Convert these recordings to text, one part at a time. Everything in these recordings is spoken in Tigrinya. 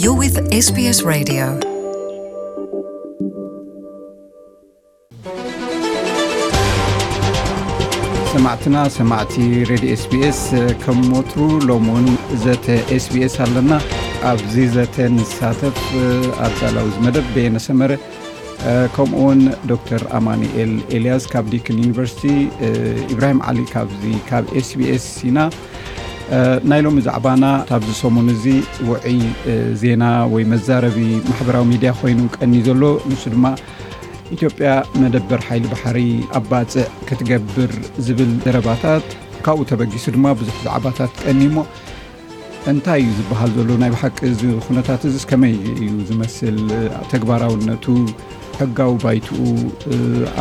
You're with S B S Radio. ሰማዕትና ሰማዕቲ ሬድዮ ኤስቢኤስ፣ ከም ወትሩ ሎም እውን ዘተ ኤስቢኤስ ኣለና። ኣብዚ ዘተ ንሳተፍ ኣዳላዊ ዝመደብ በየነ ሰመረ፣ ከምኡ እውን ዶክተር ኣማኑኤል ኤልያስ ካብ ዲክን ዩኒቨርሲቲ፣ ኢብራሂም ዓሊ ካብዚ ካብ ኤስቢኤስ ኢና። ናይ ሎሚ ዛዕባና ኣብዚ ሰሙን እዚ ውዑይ ዜና ወይ መዛረቢ ማሕበራዊ ሚድያ ኮይኑ ቀኒ ዘሎ፣ ንሱ ድማ ኢትዮጵያ መደበር ሓይሊ ባሕሪ ኣብ ባጽዕ ክትገብር ዝብል ዘረባታት፣ ካብኡ ተበጊሱ ድማ ብዙሕ ዛዕባታት ቀኒ እሞ፣ እንታይ እዩ ዝበሃል ዘሎ? ናይ ብሓቂ እዚ ኩነታት እዚስ ከመይ እዩ ዝመስል? ተግባራውነቱ፣ ሕጋዊ ባይትኡ፣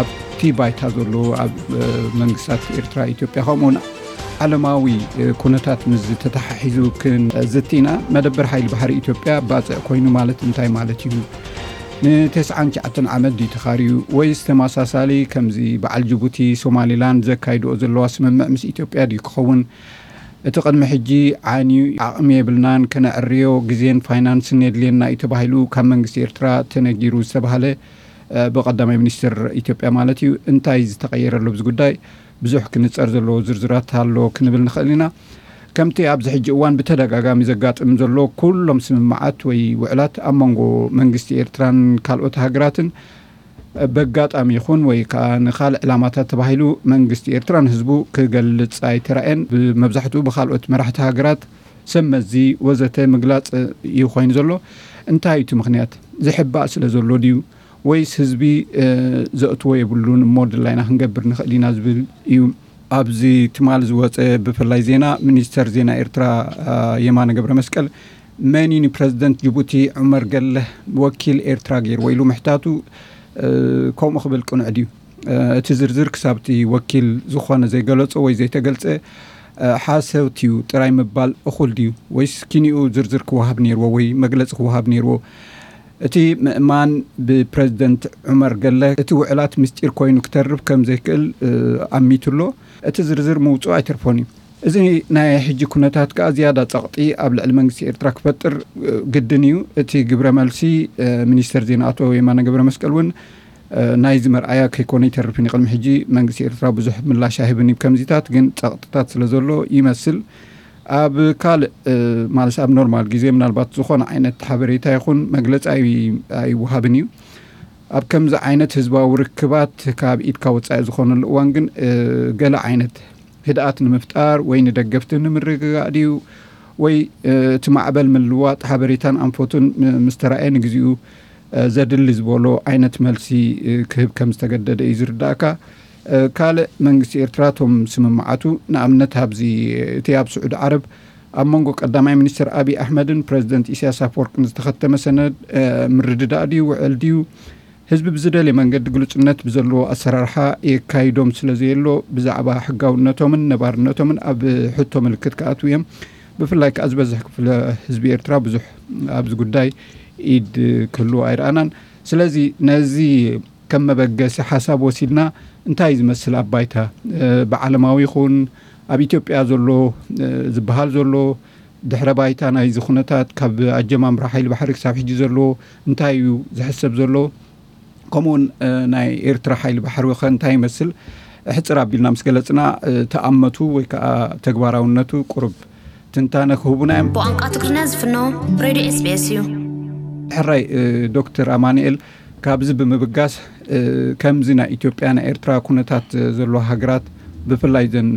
ኣብቲ ባይታ ዘሎ ኣብ መንግስታት ኤርትራ፣ ኢትዮጵያ፣ ከምኡውን ዓለማዊ ኩነታት ምስ ተተሓሒዙ ክንዝቲ ኢና። መደበር ሓይሊ ባሕሪ ኢትዮጵያ ባጽዕ ኮይኑ ማለት እንታይ ማለት እዩ? ንተስዓን ትሽዓተን ዓመት ድዩ ተኻርዩ? ወይስ ተመሳሳሊ ከምዚ በዓል ጅቡቲ፣ ሶማሊላንድ ዘካይድኦ ዘለዋ ስምምዕ ምስ ኢትዮጵያ ድዩ ክኸውን? እቲ ቅድሚ ሕጂ ዓንዩ፣ ዓቕሚ የብልናን፣ ከነዕርዮ ግዜን ፋይናንስን የድልየና እዩ ተባሂሉ ካብ መንግስቲ ኤርትራ ተነጊሩ ዝተባህለ፣ ብቀዳማይ ሚኒስትር ኢትዮጵያ ማለት እዩ። እንታይ ዝተቐየረ ኣሎ ኣብዚ ጉዳይ? ብዙሕ ክንጸር ዘለዎ ዝርዝራት ኣሎ ክንብል ንኽእል ኢና። ከምቲ ኣብዚ ሕጂ እዋን ብተደጋጋሚ ዘጋጥም ዘሎ፣ ኩሎም ስምምዓት ወይ ውዕላት ኣብ መንጎ መንግስቲ ኤርትራን ካልኦት ሃገራትን በጋጣሚ ይኹን ወይ ከኣ ንኻልእ ዕላማታት ተባሂሉ መንግስቲ ኤርትራ ንህዝቡ ክገልጽ ኣይተራእየን። ብመብዛሕትኡ ብኻልኦት መራሕቲ ሃገራት፣ ሰብ መዚ ወዘተ ምግላጽ እዩ ኮይኑ ዘሎ። እንታይ እዩ እቲ ምኽንያት? ዝሕባእ ስለ ዘሎ ድዩ? ወይስ ህዝቢ ዘእትዎ የብሉን እሞ ድላይና ክንገብር ንኽእል ኢና ዝብል እዩ። ኣብዚ ትማል ዝወጸ ብፍላይ ዜና፣ ሚኒስተር ዜና ኤርትራ የማነ ገብረ መስቀል መን እዩ ንፕረዚደንት ጅቡቲ ዑመር ገለህ ወኪል ኤርትራ ገይርዎ ኢሉ ምሕታቱ፣ ከምኡ ክብል ቅኑዕ ድዩ? እቲ ዝርዝር ክሳብቲ ወኪል ዝኾነ ዘይገለጾ ወይ ዘይተገልጸ፣ ሓሰውቲ እዩ ጥራይ ምባል እኹል ድዩ? ወይስ ኪንኡ ዝርዝር ክወሃብ ነይርዎ ወይ መግለጺ ክወሃብ ነይርዎ? እቲ ምእማን ብፕረዚደንት ዑመር ገለ፣ እቲ ውዕላት ምስጢር ኮይኑ ክተርፍ ከም ዘይክእል ኣሚቱ ኣሎ። እቲ ዝርዝር ምውጽኡ ኣይተርፎን እዩ። እዚ ናይ ሕጂ ኩነታት ከኣ ዝያዳ ጸቕጢ ኣብ ልዕሊ መንግስቲ ኤርትራ ክፈጥር ግድን እዩ። እቲ ግብረ መልሲ ሚኒስተር ዜና ኣቶ የማነ ገብረ መስቀል እውን ናይዚ መርኣያ ከይኮነ ይተርፍን እዩ። ቅድሚ ሕጂ መንግስቲ ኤርትራ ብዙሕ ምላሽ ኣይህብን እዩ ከምዚታት፣ ግን ጸቕጥታት ስለ ዘሎ ይመስል። ኣብ ካልእ ማለት ኣብ ኖርማል ግዜ ምናልባት ዝኾነ ዓይነት ሓበሬታ ይኹን መግለጺ ኣይ- ኣይወሃብን እዩ። ኣብ ከምዚ ዓይነት ህዝባዊ ርክባት ካብ ኢድካ ወጻኢ ዝኾነሉ እዋን ግን ገለ ዓይነት ህድኣት ንምፍጣር ወይ ንደገፍቲ ንምርግጋእ ድዩ ወይ እቲ ማዕበል ምልዋጥ ሓበሬታን ኣንፈቱን ምስ ተራእየ ንግዚኡ ዘድሊ ዝበሎ ዓይነት መልሲ ክህብ ከም ዝተገደደ እዩ ዝርዳእካ። ካልእ መንግስቲ ኤርትራ እቶም ስምምዓቱ ንኣብነት ኣብዚ እቲ ኣብ ስዑዲ ዓረብ ኣብ መንጎ ቀዳማይ ሚኒስትር ኣብይ ኣሕመድን ፕረዚደንት ኢሳያስ ኣፈወርቅን ዝተኸተመ ሰነድ ምርድዳእ ድዩ ውዕል ድዩ ህዝቢ ብዝደልየ መንገዲ ግሉጽነት ብዘለዎ ኣሰራርሓ የካይዶም ስለ ዘየሎ ብዛዕባ ሕጋውነቶምን ነባርነቶምን ኣብ ሕቶ ምልክት ክኣትዉ እዮም። ብፍላይ ከኣ ዝበዝሕ ክፍለ ህዝቢ ኤርትራ ብዙሕ ኣብዚ ጉዳይ ኢድ ክህልዎ ኣይረኣናን። ስለዚ ነዚ ከም መበገሲ ሓሳብ ወሲድና እንታይ እዩ ዝመስል ኣብ ባይታ ብዓለማዊ ይኹን ኣብ ኢትዮጵያ ዘሎ ዝበሃል ዘሎ ድሕረ ባይታ ናይዚ ኩነታት ካብ ኣጀማምራ ሓይሊ ባሕሪ ክሳብ ሕጂ ዘሎ እንታይ እዩ ዝሕሰብ ዘሎ? ከምኡውን ናይ ኤርትራ ሓይሊ ባሕሪ ከ እንታይ ይመስል? ሕጽር ኣቢልና ምስ ገለጽና ተኣመቱ ወይ ከዓ ተግባራውነቱ ቁሩብ ትንታነ ክህቡና እዮም። ብቋንቋ ትግርኛ ዝፍኖ ሬድዮ ኤስቢኤስ እዩ። ሕራይ ዶክተር ኣማኑኤል፣ ካብዚ ብምብጋስ ከምዚ ናይ ኢትዮጵያ ናይ ኤርትራ ኩነታት ዘለዎ ሃገራት ብፍላይ ዘን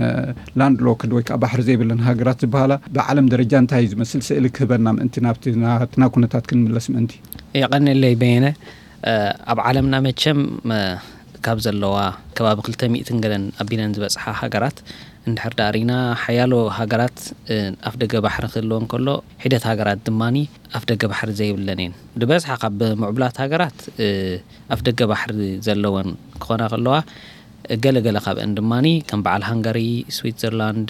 ላንድ ሎክድ ወይ ከዓ ባሕሪ ዘይብለን ሃገራት ዝበሃላ ብዓለም ደረጃ እንታይ እዩ ዝመስል ስእሊ ክህበና ምእንቲ ናብቲ ናትና ኩነታት ክንምለስ ምእንቲ። የቐንለይ በየነ። ኣብ ዓለምና መቸም ካብ ዘለዋ ከባቢ ክልተ ሚእትን ገለን ኣቢለን ዝበፅሓ ሃገራት እንድሕር ዳኣ ሪና ሓያሎ ሃገራት ኣፍ ደገ ባሕሪ ክህልወን ከሎ ሒደት ሃገራት ድማኒ ኣፍ ደገ ባሕሪ ዘይብለን እየን። ብበዝሓ ካብ ምዕቡላት ሃገራት ኣፍ ደገ ባሕሪ ዘለወን ክኾና ከለዋ ገለ ገለ ካብአን ድማኒ ከም በዓል ሃንጋሪ፣ ስዊትዘርላንድ፣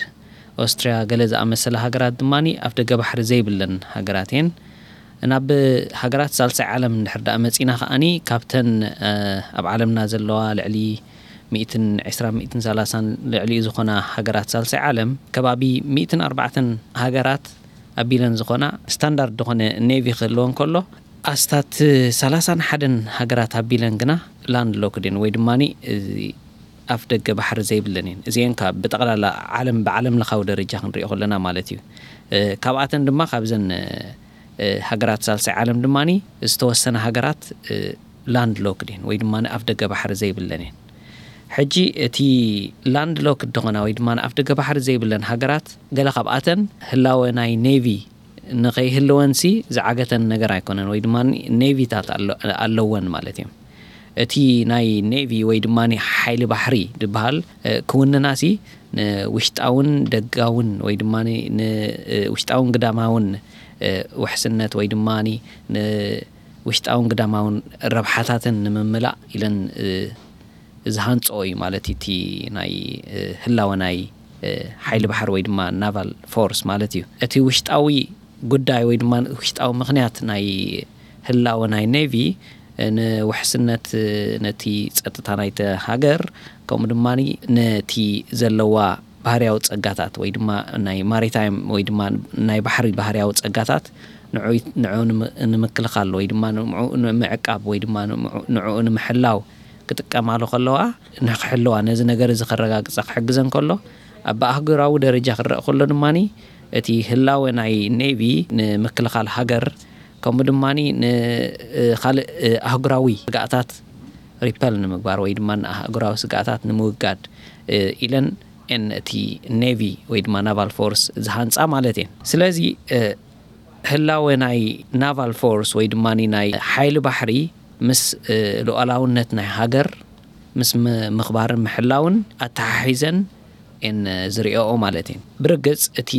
ኦስትርያ ገለ ዝኣመሰላ ሃገራት ድማኒ ኣፍ ደገ ባሕሪ ዘይብለን ሃገራት እየን። ናብ ሃገራት ሳልሳይ ዓለም እንድሕር ደኣ መጺና ከኣኒ ካብተን ኣብ ዓለምና ዘለዋ ልዕሊ ሚእትን ዕስራን ሚእትን ሰላሳን ልዕሊኡ ዝኾና ሃገራት ሳልሳይ ዓለም ከባቢ ሚእትን ኣርባዕተን ሃገራት ኣቢለን ዝኾና፣ ስታንዳርድ ዝኾነ ኔቪ ክህልወን ከሎ፣ ኣስታት ሰላሳን ሓደን ሃገራት ኣቢለን ግና ላንድ ሎክድ እየን፣ ወይ ድማ ኣፍ ደገ ባሕሪ ዘይብለን እየን። እዚአን ካብ ብጠቕላላ ዓለም፣ ብዓለም ለኻዊ ደረጃ ክንሪኦ ከለና ማለት እዩ። ካብኣተን ድማ ካብዘን ሃገራት ሳልሳይ ዓለም ድማ ዝተወሰነ ሃገራት ላንድ ሎክድ እየን፣ ወይ ድማ ኣፍ ደገ ባሕሪ ዘይብለን እየን። ሕጂ እቲ ላንድ ሎክድ ዝኾና ወይ ድማ ኣፍ ደገ ባሕሪ ዘይብለን ሃገራት፣ ገለ ካብኣተን ህላወ ናይ ኔቪ ንኸይህልወንሲ ዝዓገተን ነገር ኣይኮነን፣ ወይ ድማ ኔቪታት ኣለወን ማለት እዮም። እቲ ናይ ኔቪ ወይ ድማ ሓይሊ ባሕሪ ዝበሃል ክውንናሲ ንውሽጣውን ደጋውን ወይ ድማ ንውሽጣውን ግዳማውን ውሕስነት ወይ ድማ ንውሽጣውን ግዳማውን ረብሓታትን ንምምላእ ኢለን ዝሃንፅኦ እዩ ማለት እቲ ናይ ህላወ ናይ ሓይሊ ባሕሪ ወይ ድማ ናቫል ፎርስ ማለት እዩ። እቲ ውሽጣዊ ጉዳይ ወይ ድማ ውሽጣዊ ምኽንያት ናይ ህላወ ናይ ኔቪ ንውሕስነት፣ ነቲ ጸጥታ ናይቲ ሃገር፣ ከምኡ ድማ ነቲ ዘለዋ ባህርያዊ ጸጋታት ወይ ድማ ናይ ማሪታይም ወይ ድማ ናይ ባሕሪ ባህርያዊ ጸጋታት ንዑ ንምክልኻል ወይ ድማ ንምዕቃብ ወይ ድማ ንዑ ንምሕላው ክጥቀማሉ ከለዋ፣ ንክሕልዋ፣ ነዚ ነገር እዚ ከረጋግጻ ክሕግዘን ከሎ፣ ኣብ ኣህጉራዊ ደረጃ ክረእ ከሎ ድማ እቲ ህላወ ናይ ኔቪ ንምክልኻል ሃገር፣ ከምኡ ድማ ንካልእ ኣህጉራዊ ስጋኣታት ሪፐል ንምግባር ወይ ድማ ንኣህጉራዊ ስጋኣታት ንምውጋድ ኢለን እን እቲ ኔቪ ወይ ድማ ናቫል ፎርስ ዝሃንፃ ማለት እየን። ስለዚ ህላወ ናይ ናቫል ፎርስ ወይ ድማ ናይ ሓይሊ ባሕሪ ምስ ሉዓላውነት ናይ ሃገር ምስ ምኽባርን ምሕላውን ኣተሓሒዘን እን ዝሪኦ ማለት እየን። ብርግፅ እቲ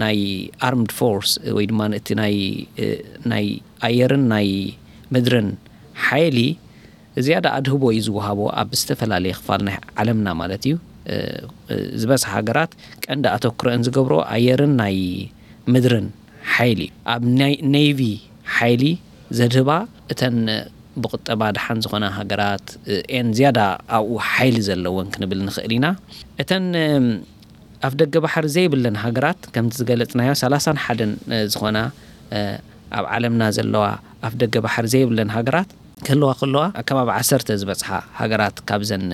ናይ ኣርምድ ፎርስ ወይ ድማ እቲ ናይ ኣየርን ናይ ምድርን ሓይሊ ዝያዳ ኣድህቦ እዩ ዝወሃቦ ኣብ ዝተፈላለየ ክፋል ናይ ዓለምና ማለት እዩ። ዝበዝሓ ሃገራት ቀንዲ ኣተኩረን ዝገብሮ ኣየርን ናይ ምድርን ሓይሊ እዩ። ኣብ ናይ ኔቪ ሓይሊ ዘድህባ እተን ብቁጠባ ደሓን ዝኾና ሃገራት ኤን ዝያዳ ኣብኡ ሓይሊ ዘለወን ክንብል ንኽእል ኢና። እተን ኣፍ ደገ ባሕሪ ዘይብለን ሃገራት፣ ከምቲ ዝገለጽናዮ ሰላሳን ሓደን ዝኾና ኣብ ዓለምና ዘለዋ ኣፍ ደገ ባሕሪ ዘይብለን ሃገራት ክህልዋ ከለዋ፣ ከባቢ ዓሰርተ ዝበጽሓ ሃገራት ካብዘን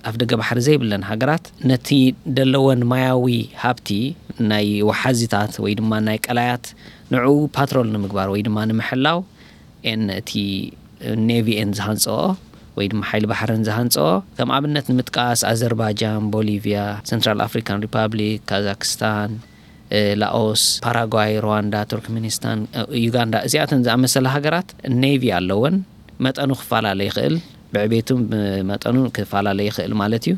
ኣፍ ደገ ባሕሪ ዘይብለን ሃገራት ነቲ ደለወን ማያዊ ሃብቲ ናይ ወሓዚታት ወይ ድማ ናይ ቀላያት ንዕኡ ፓትሮል ንምግባር ወይ ድማ ንምሕላው ኤን እቲ ኔቪ ኤን ዝሃንፅኦ ወይ ድማ ሓይሊ ባሕርን ዝሃንፅኦ፣ ከም ኣብነት ንምጥቃስ ኣዘርባጃን፣ ቦሊቪያ፣ ሰንትራል ኣፍሪካን ሪፓብሊክ፣ ካዛክስታን፣ ላኦስ፣ ፓራጓይ፣ ሩዋንዳ፣ ቱርክሜኒስታን፣ ዩጋንዳ፣ እዚኣተን ዝኣመሰላ ሃገራት ኔቪ ኣለወን። መጠኑ ክፈላለ ይኽእል፣ ብዕቤቱ ብመጠኑ ክፈላለ ይኽእል ማለት እዩ።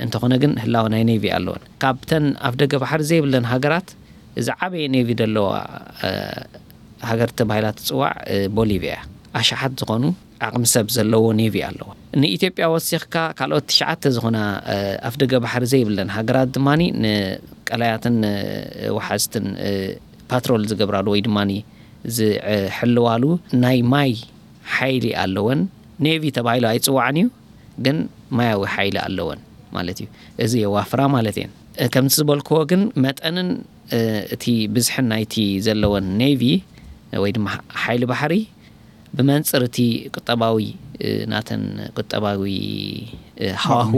እንተኾነ ግን ህላወ ናይ ኔቪ ኣለወን። ካብተን ኣፍ ደገ ባሕሪ ዘይብለን ሃገራት ዝዓበየ ኔቪ ዘለዋ ሃገር ተባሂላ ትፅዋዕ ቦሊቪያ እያ። ኣሽሓት ዝኾኑ ዓቕሚ ሰብ ዘለዎ ኔቪ ኣለዎ። ንኢትዮጵያ ወሲኽካ ካልኦት ትሽዓተ ዝኾና ኣፍ ደገ ባሕሪ ዘይብለን ሃገራት ድማ ንቀላያትን ወሓዝትን ፓትሮል ዝገብራሉ ወይ ድማ ዝሕልዋሉ ናይ ማይ ሓይሊ ኣለወን። ኔቪ ተባሂሉ ኣይፅዋዕን እዩ፣ ግን ማያዊ ሓይሊ ኣለወን ማለት እዩ። እዚ የዋፍራ ማለት እየን። ከምቲ ዝበልክዎ ግን መጠንን እቲ ብዝሕን ናይቲ ዘለወን ኔቪ ወይ ድማ ሓይሊ ባሕሪ ብመንፅር እቲ ቁጠባዊ ናተን ቁጠባዊ ሃዋሁ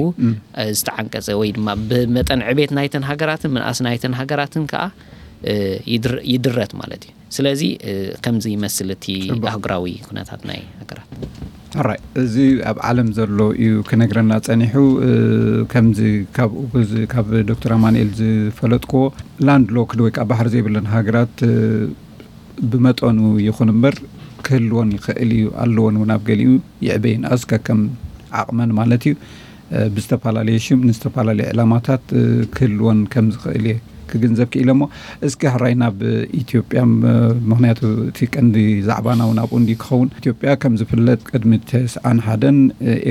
ዝተዓንቀፀ ወይ ድማ ብመጠን ዕቤት ናይተን ሃገራትን ምንኣስ ናይተን ሃገራትን ከዓ ይድረት ማለት እዩ። ስለዚ ከምዚ ይመስል እቲ ኣህጉራዊ ኩነታት ናይ ሃገራት። ሕራይ፣ እዚ ኣብ ዓለም ዘሎ እዩ ክነግረና ጸኒሑ። ከምዚ ካብኡ ካብ ዶክተር ኣማንኤል ዝፈለጥክዎ፣ ላንድ ሎክድ ወይ ከዓ ባሕሪ ዘይብለን ሃገራት ብመጠኑ ይኹን እምበር ክህልወን ይኽእል እዩ፣ ኣለወን እውን ኣብ ገሊኡ ይዕበይን ኣስከ ከም ዓቕመን ማለት እዩ። ብዝተፈላለየ ሽም ንዝተፈላለየ ዕላማታት ክህልወን ከም ዝኽእል እየ ክግንዘብ ክኢለ እሞ፣ እስኪ ሕራይ ናብ ኢትዮጵያ፣ ምኽንያቱ እቲ ቀንዲ ዛዕባና እውን ኣብኡ እንዲ ክኸውን። ኢትዮጵያ ከም ዝፍለጥ ቅድሚ ተስዓን ሓደን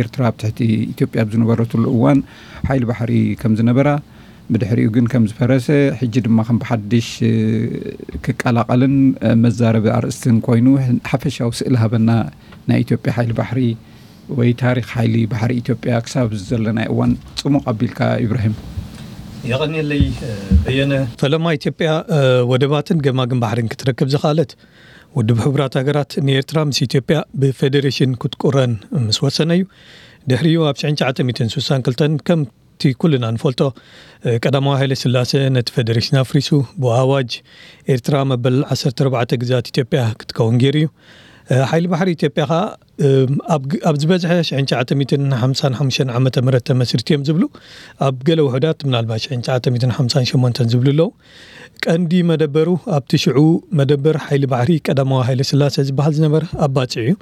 ኤርትራ ኣብ ትሕቲ ኢትዮጵያ ኣብ ዝነበረትሉ እዋን ሓይሊ ባሕሪ ከም ዝነበራ፣ ብድሕሪኡ ግን ከም ዝፈረሰ፣ ሕጂ ድማ ከም ብሓድሽ ክቀላቐልን መዛረቢ ኣርእስትን ኮይኑ ሓፈሻዊ ስእሊ ሃበና ናይ ኢትዮጵያ ሓይሊ ባሕሪ ወይ ታሪኽ ሓይሊ ባሕሪ ኢትዮጵያ ክሳብ ዘለናይ እዋን ጽሙቕ ኣቢልካ ኢብራሂም? የቐንየለይ በየነ። ፈለማ ኢትዮጵያ ወደባትን ገማግም ባሕርን ክትረክብ ዝኸኣለት፣ ውድብ ሕቡራት ሃገራት ንኤርትራ ምስ ኢትዮጵያ ብፌዴሬሽን ክትቁረን ምስ ወሰነ እዩ። ድሕሪኡ ኣብ ሽሕን ትሽዓተ ሚእትን ስሳን ክልተን ከምቲ ኩልና ንፈልጦ ቀዳማዊ ሃይለ ስላሴ ነቲ ፌዴሬሽን ኣፍሪሱ ብኣዋጅ ኤርትራ መበል ዓሰርተ ኣርባዕተ ግዝኣት ኢትዮጵያ ክትከውን ገይሩ እዩ። ሓይሊ ባሕሪ ኢትዮጵያ ኸኣ ኣብ ዝበዝሐ ሽሕን ትሽዓተ ሚእትን ሓምሳን ሓሙሽተን ዓመተ ምህረት ተመስሪቱ እዮም ዝብሉ፣ ኣብ ገለ ውሑዳት ምናልባት ሽሕን ትሽዓተ ሚእትን ሓምሳን ሸሞንተን ዝብሉ ኣለዉ። ቀንዲ መደበሩ ኣብቲ ሽዑ መደበር ሓይሊ ባሕሪ ቀዳማዊ ሃይለ ስላሴ ዝበሃል ዝነበረ ኣብ ባጽዕ እዩ።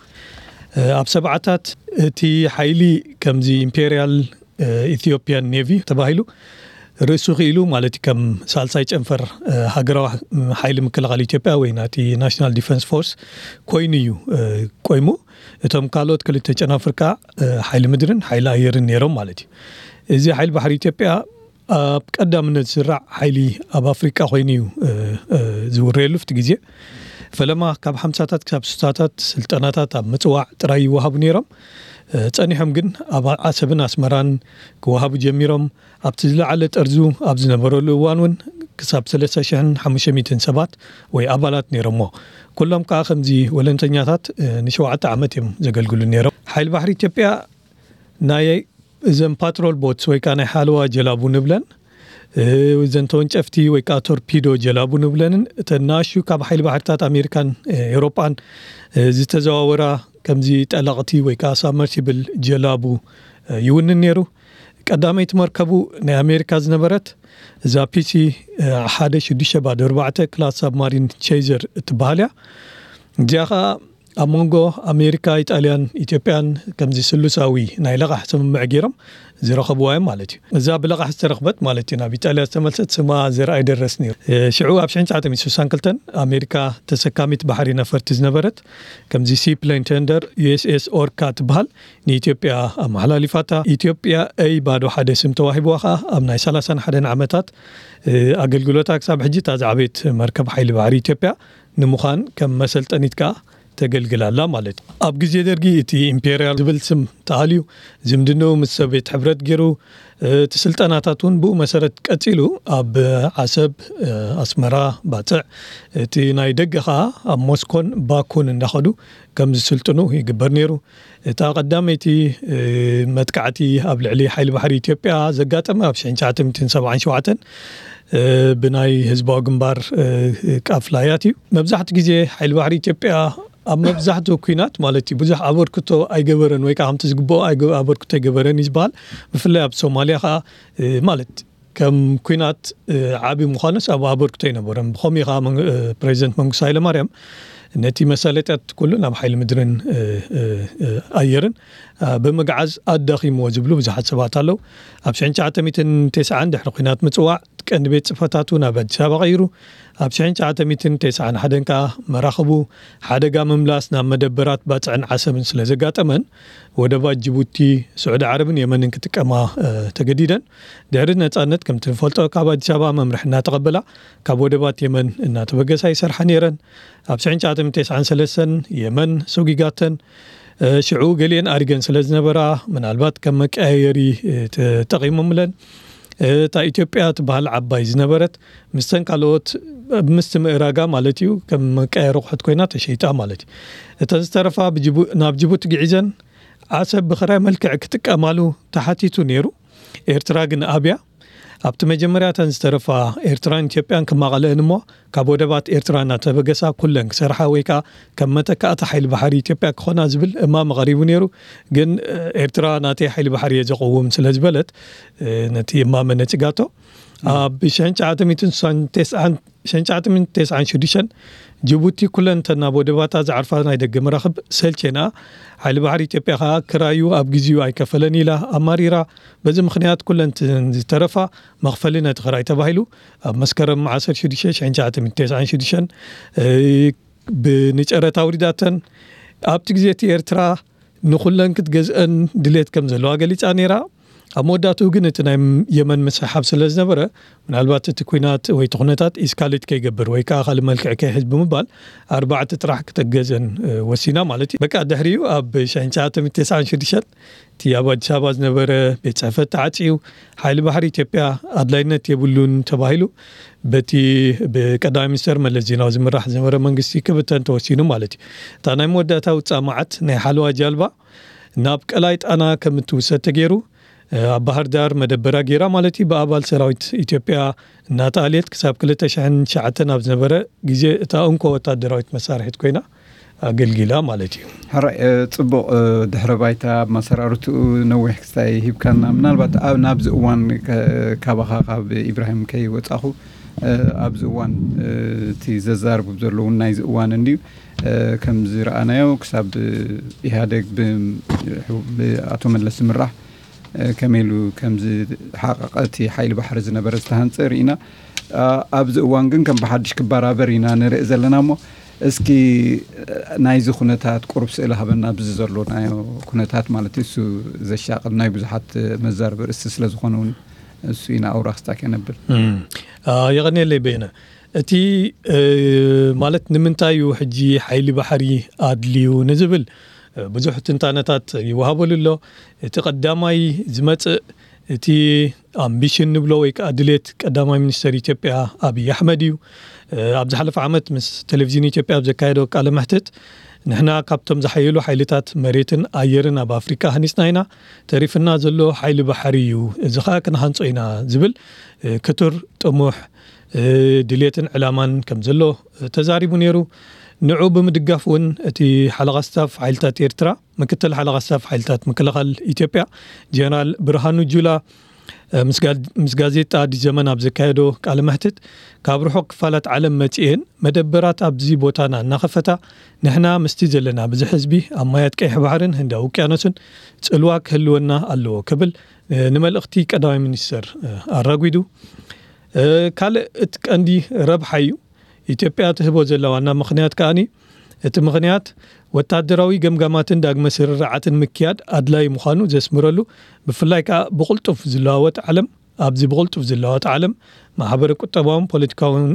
ኣብ ሰብዓታት እቲ ሓይሊ ከምዚ ኢምፔርያል ኢትዮጵያን ኔቪ ተባሂሉ ርእሱ ክኢሉ፣ ማለት ከም ሳልሳይ ጨንፈር ሃገራዊ ሓይሊ ምክልኻል ኢትዮጵያ ወይ ናቲ ናሽናል ዲፈንስ ፎርስ ኮይኑ እዩ ቆይሙ። እቶም ካልኦት ክልተ ጨናፍር ከዓ ሓይሊ ምድርን ሓይሊ ኣየርን ነይሮም ማለት እዩ። እዚ ሓይሊ ባሕሪ ኢትዮጵያ ኣብ ቀዳምነት ዝስራዕ ሓይሊ ኣብ ኣፍሪቃ ኮይኑ እዩ ዝውረየሉ። ኣብቲ ግዜ ፈለማ ካብ ሓምሳታት ክሳብ ስሳታት ስልጠናታት ኣብ ምጽዋዕ ጥራይ ይወሃቡ ነይሮም። ጸኒሖም ግን ኣብ ዓሰብን ኣስመራን ክወሃቡ ጀሚሮም። ኣብቲ ዝለዓለ ጠርዙ ኣብ ዝነበረሉ እዋን እውን ክሳብ ሰለስተ ሽሕን ሓሙሽተ ሚእትን ሰባት ወይ ኣባላት ነይሮሞ። ኩሎም ከዓ ከምዚ ወለንተኛታት ንሸውዓተ ዓመት እዮም ዘገልግሉ ነይሮም። ሓይሊ ባሕሪ ኢትዮጵያ ናይ እዘን ፓትሮል ቦትስ ወይ ከዓ ናይ ሓለዋ ጀላቡ ንብለን እዘን ተወንጨፍቲ ወይ ከዓ ቶርፒዶ ጀላቡ ንብለንን እተን ናሹ ካብ ሓይሊ ባሕርታት ኣሜሪካን ኤውሮጳን ዝተዘዋወራ ከምዚ ጠለቕቲ ወይ ከዓ ሳብመርሲብል ጀላቡ ይውንን ነይሩ። ቀዳመይቲ መርከቡ ናይ ኣሜሪካ ዝነበረት እዛ ፒሲ ሓደ ሽዱሽተ ባዶ ኣርባዕተ ክላስ ሳብማሪን ቼዘር እትበሃል እያ። እዚኣ ኸዓ ኣብ መንጎ ኣሜሪካ፣ ኢጣልያን ኢትዮጵያን ከምዚ ስሉሳዊ ናይ ለቓሕ ስምምዕ ገይሮም ዝረኸብዋ እዮም ማለት እዩ። እዛ ብለቓሕ ዝተረኽበት ማለት እዩ ናብ ኢጣልያ ዝተመልሰት ስማ ዘርኣይ ደረስ ነይሩ። ሽዑ ኣብ ሽሕን ትሽዓተ ሚእትን ስሳን ክልተን ኣሜሪካ ተሰካሚት ባሕሪ ነፈርቲ ዝነበረት ከምዚ ሲ ፕሌን ተንደር ዩ ኤስ ኤስ ኦርካ ትበሃል ንኢትዮጵያ ኣመሓላሊፋታ። ኢትዮጵያ ኤይ ባዶ ሓደ ስም ተዋሂብዋ ኸዓ ኣብ ናይ ሰላሳን ሓደን ዓመታት ኣገልግሎታ ክሳብ ሕጂ እታ ዝዓበየት መርከብ ሓይሊ ባሕሪ ኢትዮጵያ ንምዃን ከም መሰልጠኒት ከኣ ተገልግል ኣላ ማለት እዩ። ኣብ ግዜ ደርጊ እቲ ኢምፔርያል ዝብል ስም ተኣልዩ ዝምድንኡ ምስ ሶቭየት ሕብረት ገይሩ፣ እቲ ስልጠናታት እውን ብኡ መሰረት ቀጺሉ ኣብ ዓሰብ፣ ኣስመራ፣ ባጽዕ፣ እቲ ናይ ደገ ከኣ ኣብ ሞስኮን ባኩን እንዳኸዱ ከም ዝስልጥኑ ይግበር ነይሩ። እታ ቀዳመይቲ መጥቃዕቲ ኣብ ልዕሊ ሓይሊ ባሕሪ ኢትዮጵያ ዘጋጠመ ኣብ ሽሕን ትሽዓተ ሚእትን ሰብዓን ሸውዓተን ብናይ ህዝባዊ ግንባር ቃፍላያት እዩ። መብዛሕትኡ ግዜ ሓይሊ ባሕሪ ኢትዮጵያ ኣብ መብዛሕትኡ ኲናት ማለት እዩ ብዙሕ ኣበርክቶ ኣይገበረን ወይ ከዓ ከምቲ ዝግብኦ ኣይገ- ኣበርክቶ ኣይገበረን እዩ ዝበሃል። ብፍላይ ኣብ ሶማልያ ከዓ ማለት ከም ኲናት ዓቢ ምዃኑስ ኣብ ኣበርክቶ ኣይነበረን። ብኸምኡ ከዓ መን- ፕሬዚደንት መንግስቱ ሃይለማርያም ነቲ መሳለጥያት ኩሉ ናብ ሓይሊ ምድርን ኣየርን ብምግዓዝ ኣዳኺምዎ ዝብሉ ብዙሓት ሰባት ኣለዉ። ኣብ ሽሕን ትሽዓተ ሚእትን ተስዓን ድሕሪ ኲናት ምጽዋዕ ቀንዲ ቤት ጽሕፈታቱ ናብ ኣዲስ ኣበባ ቀይሩ። ኣብ ሽሕን ትሽዓተ ሚእትን ተስዓን ሓደን ከኣ መራኽቡ ሓደጋ ምምላስ ናብ መደበራት ባጽዕን ዓሰብን ስለ ዘጋጠመን ወደባት ጅቡቲ፣ ስዑዲ ዓረብን የመንን ክጥቀማ ተገዲደን። ድሕሪ ነጻነት ከምቲ ንፈልጦ ካብ ኣዲስ ኣበባ መምርሒ እናተቐበላ ካብ ወደባት የመን እናተበገሳ ይሰርሓ ነይረን። ኣብ ሽሕን ትሽዓተ ሚእትን ተስዓን ሰለስተን የመን ሰጒጋተን። ሽዑ ገሊአን ኣሪገን ስለ ዝነበራ ምናልባት ከም መቀያየሪ ተጠቒሞምለን። እታ ኢትዮጵያ ትበሃል ዓባይ ዝነበረት ምስተን ካልኦት ምስቲ ምእራጋ ማለት እዩ ከም መቀያየሪ ኣቑሑት ኮይና ተሸይጣ ማለት እዩ። እተን ዝተረፋ ብጅቡ- ናብ ጅቡቲ ግዒዘን ዓሰብ ብኽራይ መልክዕ ክጥቀማሉ ተሓቲቱ ነይሩ። ኤርትራ ግን ኣብያ። ኣብቲ መጀመርያ እተን ዝተረፋ ኤርትራን ኢትዮጵያን ክማቐለአን እሞ ካብ ወደባት ኤርትራ እናተበገሳ ኩለን ክሰርሓ ወይ ከዓ ከም መተካእታ ሓይሊ ባሕሪ ኢትዮጵያ ክኾና ዝብል እማመ ቀሪቡ ነይሩ። ግን ኤርትራ ናተይ ሓይሊ ባሕሪ እየ ዘቐውም ስለ ዝበለት ነቲ እማመ ነጺጋቶ። ኣብ ሽሕን ትሽዓተ ሚእትን ስሳን ተስዓን ሽሕን ትሽዓተ ሚእትን ተስዓን ሽዱሽተን ጅቡቲ ኩለን እተን ናብ ወደባታ ዝዓርፋ ናይ ደገ መራኽብ ሰልቸና፣ ሓይሊ ባሕሪ ኢትዮጵያ ከኣ ክራዩ ኣብ ግዜኡ ኣይከፈለን ኢላ ኣማሪራ። በዚ ምኽንያት ኩለን እተን ዝተረፋ መኽፈሊ ነቲ ክራይ ተባሂሉ ኣብ መስከረም ዓሰርተ ሽዱሽተ ሽሕን ትሽዓተ ሚእትን ተስዓን ሽዱሽተን ብንጨረታ ኣውሪዳተን። ኣብቲ ግዜ እቲ ኤርትራ ንኹለን ክትገዝአን ድሌት ከም ዘለዋ ገሊጻ ነይራ። ኣብ መወዳእትኡ ግን እቲ ናይ የመን ምስሕሓብ ስለ ዝነበረ፣ ምናልባት እቲ ኲናት ወይ እቲ ኩነታት ኢስካሌት ከይገብር ወይ ከዓ ካልእ መልክዕ ከይሕዝ ብምባል፣ ኣርባዕተ ጥራሕ ክተገዘን ወሲና ማለት እዩ። በቃ ድሕሪኡ ኣብ ሽሕን ትሽዓተ ሚእትን ተስዓን ሽዱሽተን እቲ ኣብ ኣዲስ ኣበባ ዝነበረ ቤት ጽሕፈት ተዓጽዩ፣ ሓይሊ ባሕሪ ኢትዮጵያ ኣድላይነት የብሉን ተባሂሉ በቲ ብቀዳማይ ሚኒስተር መለስ ዜናዊ ዝምራሕ ዝነበረ መንግስቲ ክብተን ተወሲኑ ማለት እዩ። እታ ናይ መወዳእታ ውጻእ መዓት ናይ ሓለዋ ጃልባ ናብ ቀላይ ጣና ከም እትውሰድ ተገይሩ፣ ኣብ ባህር ዳር መደበራ ገይራ ማለት እዩ። ብኣባል ሰራዊት ኢትዮጵያ እናተኣልየት ክሳብ ክልተ ሽሕን ትሽዓተን ኣብ ዝነበረ ግዜ እታ እንኮ ወታደራዊት መሳርሒት ኮይና ኣገልጊላ ማለት እዩ። ሕራይ ጽቡቕ። ድሕረ ባይታ ኣብ መሰራርትኡ ነዊሕ ክስታይ ሂብካና፣ ምናልባት ናብዚ እዋን ካባኻ ካብ ኢብራሂም ከይወፃኹ፣ ኣብዚ እዋን እቲ ዘዛርቡ ዘለዉ ናይዚ እዋን እንድዩ። ከምዚ ረኣናዮ ክሳብ ኢህኣደግ ብኣቶ መለስ ዝምራሕ ከመይ ኢሉ ከምዚ ሓቐቐ እቲ ሓይሊ ባሕሪ ዝነበረ ዝተሃንፀ ርኢና። ኣብዚ እዋን ግን ከም ብሓድሽ ክበራበር ኢና ንርኢ ዘለና እሞ፣ እስኪ ናይዚ ኩነታት ቁሩብ ስእሊ ሃበና። ኣብዚ ዘሎ ናይ ኩነታት ማለት እዩ፣ እሱ ዘሻቕል ናይ ብዙሓት መዛረቢ ርእሲ ስለ ዝኾነ እውን እሱ ኢና ኣውራ ክስታክ የነብል። የቐንየለይ በየነ። እቲ ማለት ንምንታይ እዩ ሕጂ ሓይሊ ባሕሪ ኣድልዩ ንዝብል ብዙሕ ትንታነታት ይወሃበሉ ኣሎ። እቲ ቀዳማይ ዝመጽእ እቲ ኣምቢሽን ንብሎ ወይ ከዓ ድሌት ቀዳማይ ሚኒስተር ኢትዮጵያ ኣብይ ኣሕመድ እዩ። ኣብ ዝሓለፈ ዓመት ምስ ቴሌቪዥን ኢትዮጵያ ኣብ ዘካየዶ ቃለ መሕትት፣ ንሕና ካብቶም ዝሓየሉ ሓይልታት መሬትን ኣየርን ኣብ ኣፍሪቃ ሃኒጽና ኢና፣ ተሪፍና ዘሎ ሓይሊ ባሕሪ እዩ፣ እዚ ከዓ ክንሃንጾ ኢና ዝብል ክቱር ጥሙሕ ድሌትን ዕላማን ከም ዘሎ ተዛሪቡ ነይሩ። ንዑ ብምድጋፍ እውን እቲ ሓለቓ ስታፍ ሓይልታት ኤርትራ፣ ምክትል ሓለቓ ስታፍ ሓይልታት ምክልኻል ኢትዮጵያ ጀነራል ብርሃኑ ጁላ ምስ ጋዜጣ ኣዲስ ዘመን ኣብ ዘካየዶ ቃለ መሕትት፣ ካብ ርሑቕ ክፋላት ዓለም መጺኤን መደበራት ኣብዚ ቦታና እናኸፈታ፣ ንሕና ምስቲ ዘለና ብዝሒ ህዝቢ ኣብ ማያት ቀይሕ ባሕርን ህንዳዊ ውቅያኖስን ጽልዋ ክህልወና ኣለዎ ክብል ንመልእኽቲ ቀዳማይ ሚኒስተር ኣራጒዱ። ካልእ እቲ ቀንዲ ረብሓ እዩ ኢትዮጵያ ትህቦ ዘላ ዋና ምኽንያት ከኣኒ፣ እቲ ምኽንያት ወታደራዊ ገምጋማትን ዳግመ ስርርዓትን ምክያድ ኣድላይ ምዃኑ ዘስምረሉ፣ ብፍላይ ከኣ ብቕልጡፍ ዝለዋወጥ ዓለም፣ ኣብዚ ብቕልጡፍ ዝለዋወጥ ዓለም ማሕበረ ቁጠባውን ፖለቲካውን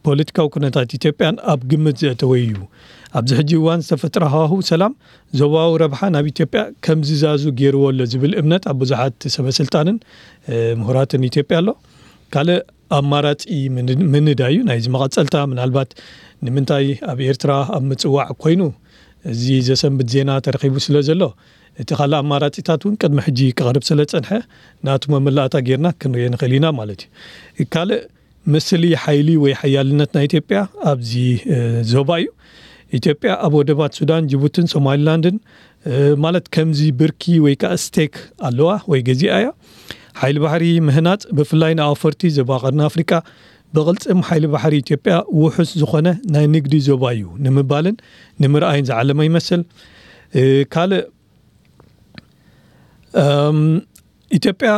ፖለቲካዊ ኩነታት ኢትዮጵያን ኣብ ግምት ዘእተወ እዩ። ኣብዚ ሕጂ እዋን ዝተፈጥረ ሃዋሁ ሰላም ዞባዊ ረብሓ ናብ ኢትዮጵያ ከም ዝዛዙ ገይርዎ ኣሎ ዝብል እምነት ኣብ ብዙሓት ሰበስልጣንን ምሁራትን ኢትዮጵያ ኣሎ። ካልእ ኣማራጺ ምንዳይ እዩ ናይዚ መቐጸልታ። ምናልባት ንምንታይ ኣብ ኤርትራ ኣብ ምጽዋዕ ኮይኑ እዚ ዘሰንብት ዜና ተረኺቡ ስለ ዘሎ፣ እቲ ካልእ ኣማራጺታት እውን ቅድሚ ሕጂ ክቐርብ ስለ ጸንሐ፣ ናቱ መመላእታ ጌርና ክንሪኦ ንኽእል ኢና ማለት እዩ። ካልእ ምስሊ ሓይሊ ወይ ሓያልነት ናይ ኢትዮጵያ ኣብዚ ዞባ እዩ። ኢትዮጵያ ኣብ ወደባት ሱዳን፣ ጅቡትን ሶማሊላንድን ማለት ከምዚ ብርኪ ወይ ከዓ ስቴክ ኣለዋ ወይ ገዚኣ እያ። ሓይሊ ባሕሪ ምህናጽ ብፍላይ ንኣውፈርቲ ዞባ ቀርኒ ኣፍሪቃ ብቕልጽም ሓይሊ ባሕሪ ኢትዮጵያ ውሑስ ዝኾነ ናይ ንግዲ ዞባ እዩ ንምባልን ንምርኣይን ዝዓለመ ይመስል። ካልእ ኢትዮጵያ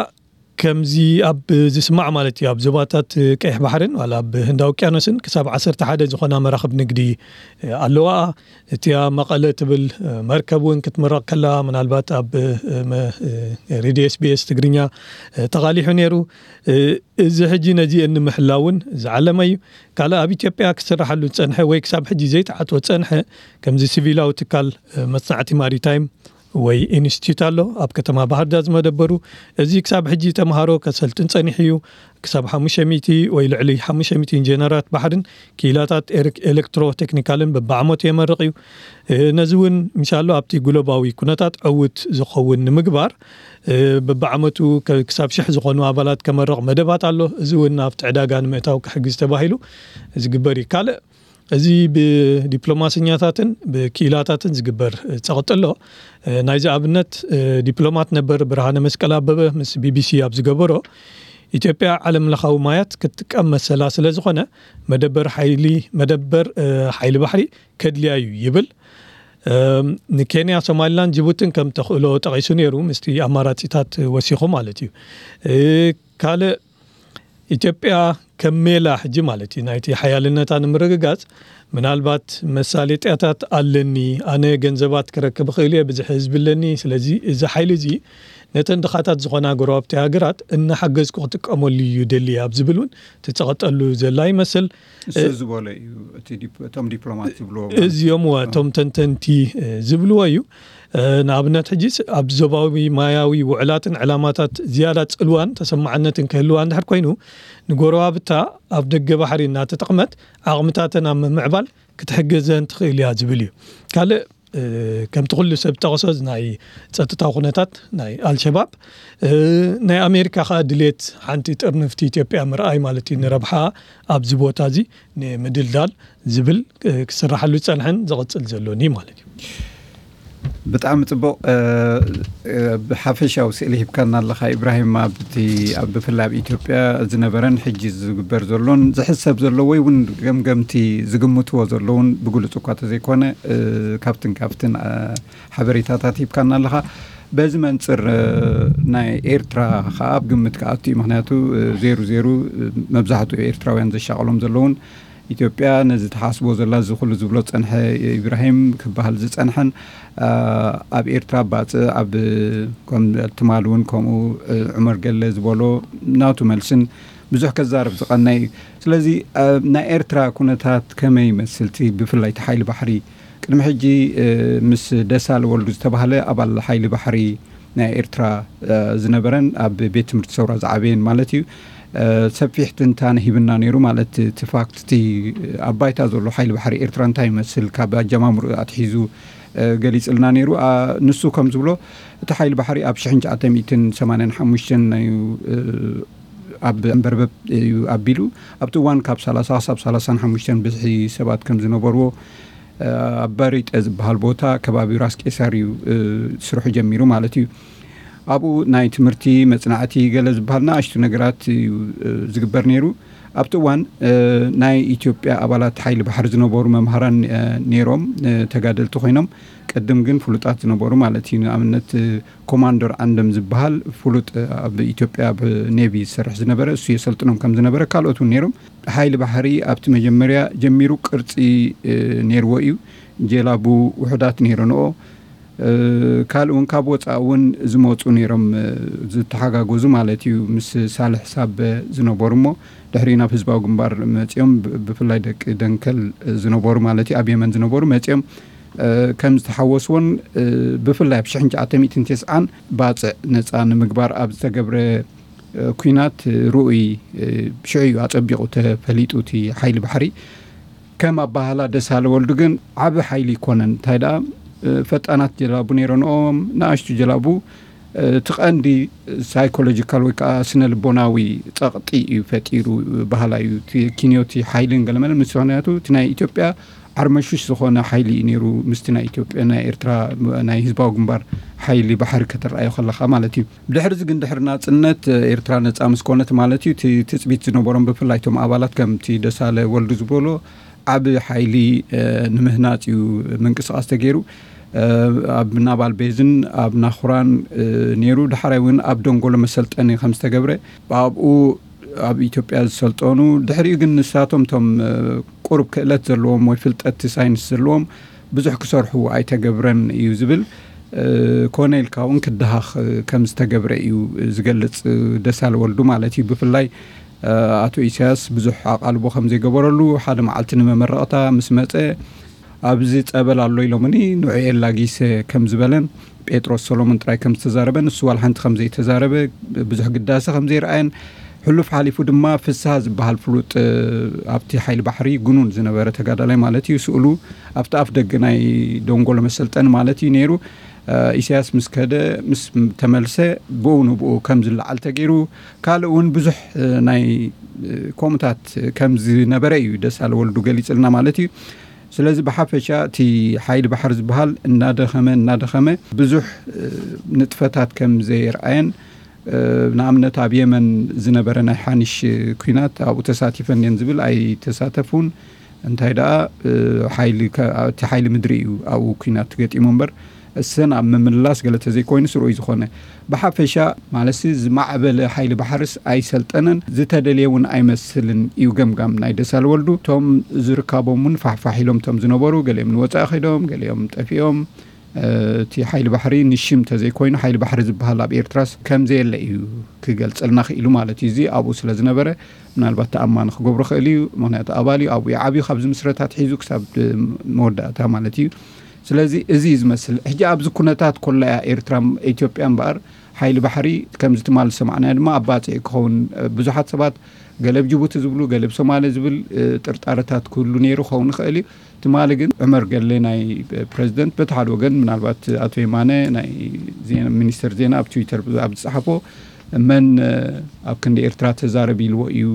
ከምዚ ኣብ ዝስማዕ ማለት እዩ፣ ኣብ ዞባታት ቀይሕ ባሕርን ዋላ ኣብ ህንዳዊ ውቅያኖስን ክሳብ ዓሰርተ ሓደ ዝኾና መራኽብ ንግዲ ኣለዋ። እቲያ መቐለ ትብል መርከብ እውን ክትምረቕ ከላ፣ ምናልባት ኣብ ሬድዮ ኤስቢኤስ ትግርኛ ተቓሊሑ ነይሩ። እዚ ሕጂ ነዚአን ንምሕላውን ዝዓለመ እዩ። ካልእ ኣብ ኢትዮጵያ ክስራሓሉ ዝጸንሐ ወይ ክሳብ ሕጂ ዘይተዓትወ ዝጸንሐ፣ ከምዚ ሲቪላዊ ትካል መጽናዕቲ ማሪታይም ወይ ኢንስቲትዩት ኣሎ ኣብ ከተማ ባህር ዳር ዝመደበሩ። እዚ ክሳብ ሕጂ ተምሃሮ ከሰልጥን ጸኒሑ እዩ። ክሳብ ሓሙሽተ ሚእቲ ወይ ልዕሊ ሓሙሽተ ሚእቲ ኢንጂነራት ባሕርን ክኢላታት ኤሌክትሮ ቴክኒካልን በብዓመቱ የመርቕ እዩ። ነዚ እውን ምሻሎ ኣብቲ ግሎባዊ ኩነታት ዕውት ዝኸውን ንምግባር በብዓመቱ ክሳብ ሽሕ ዝኾኑ ኣባላት ከመርቕ መደባት ኣሎ። እዚ እውን ኣብቲ ዕዳጋ ንምእታው ክሕግዝ ተባሂሉ ዝግበር እዩ። ካልእ እዚ ብዲፕሎማሰኛታትን ብክኢላታትን ዝግበር ጸቕጢ ኣሎ። ናይዚ ኣብነት ዲፕሎማት ነበር ብርሃነ መስቀል ኣበበ ምስ ቢቢሲ ኣብ ዝገበሮ፣ ኢትዮጵያ ዓለም ለኻዊ ማያት ክትጥቀም መሰላ ስለ ዝኾነ መደበር ሓይሊ መደበር ሓይሊ ባሕሪ ከድልያ እዩ ይብል። ንኬንያ፣ ሶማሊላንድ፣ ጅቡትን ከም ተኽእሎ ጠቒሱ ነይሩ፣ ምስቲ ኣማራጺታት ወሲኹ ማለት እዩ። ካልእ ኢትዮጵያ ከም ሜላ ሕጂ ማለት እዩ ናይቲ ሓያልነታ ንምርግጋጽ ምናልባት መሳለጥያታት ኣለኒ፣ ኣነ ገንዘባት ክረክብ እኽእል እየ፣ ብዙሕ ህዝቢ ኣለኒ፣ ስለዚ እዚ ሓይሊ እዚ ነተን ድኻታት ዝኾና ጎረባብቲ ሃገራት እናሓገዝኩ ክጥቀመሉ እዩ ደሊ ኣብ ዝብል እውን ትጸቐጠሉ ዘላ ይመስል። እሱ ዝበሎ እዩ እቲ ዲፕ- እቶም ዲፕሎማት ዝብልዎ ማለት። እዚኦም እዋ እቶም ተንተንቲ እ፣ ዝብልዎ እዩ። እ፣ ንኣብነት ሕጂ ኣብ ዞባዊ ማያዊ ውዕላትን ዕላማታት ዝያዳ ጽልዋን ተሰማዕነትን ክህልዋ እንድሕር ኮይኑ፣ ንጎረባብታ ኣብ ደገ ባሕሪ እናተጠቕመት ዓቕምታተን ኣብ ምምዕባል ክትሕገዘን ትኽእል እያ ዝብል እዩ። ካልእ እ፣ ከምቲ ኩሉ ሰብ ጠቕሶ ናይ ጸጥታ ኩነታት ናይ ኣልሸባብ እ፣ ናይ ኣሜሪካ ከዓ ድሌት ሓንቲ ጥርንፍቲ ኢትዮጵያ ምርኣይ ማለት እዩ፣ ንረብሓ ኣብዚ ቦታ እዚ ንምድልዳል ዝብል እ፣ ክስራሓሉ ዝጸንሐን ዝቕጽል ዘሎን እዩ ማለት እዩ። ብጣዕሚ ጽቡቕ። እ፣ እ፣ ብሓፈሻዊ ስእሊ ሂብካና ኣለኻ ኢብራሂም፣ ኣብቲ ኣብ ብፍላይ ኣብ ኢትዮጵያ ዝነበረን ሕጂ ዝግበር ዘሎን ዝሕሰብ ዘሎ ወይ እውን ገምገምቲ ዝግምትዎ ዘለውን ብግሉጽ እኳ ተዘይኮነ እ፣ ካብትን ካብትን እ፣ ሓበሬታታት ሂብካና ኣለኻ። በዚ መንጽር እ፣ ናይ ኤርትራ ከዓ ኣብ ግምት ክኣቱ እዩ። ምክንያቱ እ፣ ዜሩ ዜሩ እ፣ መብዛሕትኡ ኤርትራውያን ዘሻቐሎም ዘለውን ኢትዮጵያ ነዚ ተሓስቦ ዘላ እዚ ኩሉ ዝብሎ ዝጸንሐ ኢብራሂም ክበሃል ዝጸንሐን እ፣ ኣብ ኤርትራ ባጽእ ኣብ ከም ትማል እውን ከምኡ እ፣ ዑመር ገለ ዝበሎ ናቱ መልስን ብዙሕ ከዛርብ ዝቐነ እዩ። ስለዚ እ፣ ናይ ኤርትራ ኩነታት ከመይ ይመስል? እቲ ብፍላይ እቲ ሓይሊ ባሕሪ ቅድሚ ሕጂ እ፣ ምስ ደሳለ ወልዱ ዝተባህለ ኣባል ሓይሊ ባሕሪ ናይ ኤርትራ እ፣ ዝነበረን ኣብ ቤት ትምህርቲ ሰውራ ዝዓበየን ማለት እዩ እ፣ ሰፊሕ ትንታነ ሂብና ነይሩ። ማለት እቲ ፋክት እቲ ኣብ ባይታ ዘሎ ሓይሊ ባሕሪ ኤርትራ እንታይ ይመስል ካብ ኣጀማምሩ ኣትሒዙ እ፣ ገሊጽልና ነይሩ። ኣ፣ ንሱ ከም ዝብሎ እቲ ሓይሊ ባሕሪ ኣብ ሽሕን ትሽዓተ ሚእትን ሰማንያን ሓሙሽተን እዩ እ፣ ኣብ ኣንበርበብ እዩ ኣቢሉ። ኣብቲ እዋን ካብ ሰላሳ ክሳብ ሰላሳን ሓሙሽተን ብዝሒ ሰባት ከም ዝነበርዎ እ፣ ኣብ በሪጠ ዝበሃል ቦታ ከባቢ ራስ ቄሳር እዩ እ፣ ስርሑ ጀሚሩ ማለት እዩ። ኣብኡ ናይ ትምህርቲ መጽናዕቲ ገለ ዝበሃል ንኣሽቱ ነገራት እዩ እ፣ ዝግበር ነይሩ። ኣብቲ እዋን እ፣ ናይ ኢትዮጵያ ኣባላት ሓይሊ ባሕሪ ዝነበሩ መምሃራን እ፣ ነይሮም እ፣ ተጋደልቲ ኮይኖም ቅድም ግን ፍሉጣት ዝነበሩ ማለት እዩ። ንኣብነት እ፣ ኮማንደር ዓንደም ዝበሃል ፍሉጥ እ፣ ኣብ ኢትዮጵያ ኣብ ኔቪ ዝሰርሕ ዝነበረ እሱ የሰልጥኖም ከም ዝነበረ ካልኦት እውን ነይሮም። ሓይሊ ባሕሪ ኣብቲ መጀመርያ ጀሚሩ ቅርጺ እ፣ ነይርዎ እዩ። ጀላቡ ውሑዳት ነይረንኦ። እ፣ ካልእ እውን ካብ ወፃእ እውን ዝመፁ ነይሮም እ፣ ዝተሓጋገዙ ማለት እዩ። ምስ ሳልሕ ሳበ ዝነበሩ እሞ ድሕሪ ናብ ህዝባዊ ግንባር መፂኦም ብ- ብፍላይ ደቂ ደንከል ዝነበሩ ማለት እዩ ኣብ የመን ዝነበሩ መፂኦም እ፣ ከም ዝተሓወስዎን እ፣ ብፍላይ ኣብ ሽሕን ትሽዓተ ሚእትን ተስዓን ባፅዕ ነፃ ንምግባር ኣብ ዝተገብረ እ፣ ኲናት እ፣ ርኡይ እ፣ ሽዑ እዩ ኣፀቢቑ ተፈሊጡ እቲ ሓይሊ ባሕሪ ከም ኣባህላ ደሳለ ወልዱ ግን ዓቢ ሓይሊ ይኮነን እንታይ ደኣ እ፣ ፈጣናት ጀላቡ ነይረንኦም ንኣሽቱ ጀላቡ እ፣ እቲ ቀንዲ ሳይኮሎጂካል ወይ ከዓ ስነ ልቦናዊ ፀቕጢ እዩ ፈጢሩ ባህላ እዩ እቲ ኪንዮቲ ሓይልን ገለመለ ምስ ምክንያቱ እቲ ናይ ኢትዮጵያ ዓርመሹሽ ዝኾነ ሓይሊ እዩ ነይሩ ምስቲ ናይ ኢትዮጵያ ናይ ኤርትራ ናይ ህዝባዊ ግንባር ሓይሊ ባሕሪ ከተረኣዮ ከለኻ ማለት እዩ። ብድሕሪ እዚ ግን ድሕሪ ናፅነት ኤርትራ ነፃ ምስ ኮነት ማለት እዩ እቲ ትፅቢት ዝነበሮም ብፍላይ እቶም ኣባላት ከምቲ ደሳለ ወልዱ ዝበሎ ዓቢ ሓይሊ እ፣ ንምህናፅ እዩ ምንቅስቃስ ተገይሩ። እ፣ ኣብ ናባል ቤዝን ኣብ ናኹራን እ፣ ነይሩ። ዳሕራይ እውን ኣብ ደንጎሎ መሰልጠኒ ከም ዝተገብረ ኣብኡ ኣብ ኢትዮጵያ ዝሰልጠኑ ድሕሪኡ ግን ንሳቶም እቶም እ፣ ቁሩብ ክእለት ዘለዎም ወይ ፍልጠት ሳይንስ ዘለዎም ብዙሕ ክሰርሑ ኣይተገብረን እዩ ዝብል እ፣ ኮነ ኢልካ እውን ክደሃኽ እ፣ ከም ዝተገብረ እዩ ዝገልጽ እ፣ ደሳለ ወልዱ ማለት እዩ። ብፍላይ እ፣ ኣቶ ኢሳያስ ብዙሕ ኣቓልቦ ከም ዘይገበረሉ ሓደ መዓልቲ ንመመረቕታ ምስ መጸ ኣብዚ ጸበል ኣሎ ኢሎምኒ ንዑ የላጊሰ ከም ዝበለን ጴጥሮስ ሰሎሞን ጥራይ ከም ዝተዛረበ ንሱ ዋላ ሓንቲ ከም ዘይተዛረበ ብዙሕ ግዳሰ ከም ዘይረኣየን ሕሉፍ ሓሊፉ ድማ ፍስሃ ዝበሃል ፍሉጥ እ፣ ኣብቲ ሓይሊ ባሕሪ ግኑን ዝነበረ ተጋዳላይ ማለት እዩ ስእሉ ኣብቲ ኣፍ ደገ ናይ ደንጎሎ መሰልጠኒ ማለት እዩ ነይሩ። እ፣ ኢሳያስ ምስ ከደ ምስ ተመልሰ ብኡ ንብኡ ከም ዝለዓል ተገይሩ ካልእ እውን ብዙሕ እ፣ ናይ እ፣ ከምኡታት ከም ዝነበረ እዩ ደሳለ ወልዱ ገሊጽልና ማለት እዩ። ስለዚ ብሓፈሻ እቲ ሓይሊ ባሕሪ ዝበሃል እናደኸመ እናደኸመ ብዙሕ እ፣ ንጥፈታት ከም ዘየርኣየን እ፣ ንኣብነት ኣብ የመን ዝነበረ ናይ ሓኒሽ እ፣ ኲናት ኣብኡ ተሳቲፈን እየን ዝብል ኣይተሳተፉን። እንታይ ደኣ እ፣ ሓይሊ ከ- እቲ ሓይሊ ምድሪ እዩ ኣብኡ ኲናት ገጢሙ እምበር እሰን ኣብ ምምልላስ ገለ ተዘይኮይኑ ስሩይ ዝኾነ ብሓፈሻ ማለትሲ ዝማዕበለ ሓይሊ ባሕርስ ኣይሰልጠነን፣ ዝተደልየ እውን ኣይመስልን እዩ ገምጋም ናይ ደሳል ወልዱ። እቶም ዝርካቦም እውን ፋሕፋሕ ኢሎም እቶም ዝነበሩ፣ ገሊኦም ንወፃኢ ከይዶም፣ ገሊኦም ጠፊኦም። እቲ ሓይሊ ባሕሪ ንሽም ተዘይኮይኑ ሓይሊ ባሕሪ ዝበሃል ኣብ ኤርትራስ ከምዘየለ እዩ ክገልፀልና ክኢሉ ማለት እዩ። እዚ ኣብኡ ስለ ዝነበረ ምናልባት ተኣማኒ ክገብሮ ክእል እዩ። ምክንያቱ ኣባል እዩ፣ ኣብኡ እዩ ዓብዩ፣ ካብ ዝምስረት ኣትሒዙ ክሳብ መወዳእታ ማለት እዩ። ስለዚ እዚ እዩ ዝመስል። ሕጂ ኣብዚ ኩነታት ኮላ እያ ኤርትራ፣ ኢትዮጵያ እምበኣር ሓይሊ ባሕሪ ከምዚ ትማል ዝሰማዕናዮ ድማ ኣብ ባጽዕ ክኸውን ብዙሓት ሰባት ገለ ብ ጅቡቲ ዝብሉ፣ ገለ ብ ሶማሌ ዝብል ጥርጣረታት ክህሉ ነይሩ ክኸውን ይኽእል እዩ። ትማሊ ግን ዑመር ገሌ ናይ ፕረዚደንት በቲ ሓደ ወገን ምናልባት ኣቶ የማነ ናይ ሚኒስተር ዜና ኣብ ትዊተር ኣብ ዝጸሓፎ መን ኣብ ክንዲ ኤርትራ ተዛረብ ኢልዎ እዩ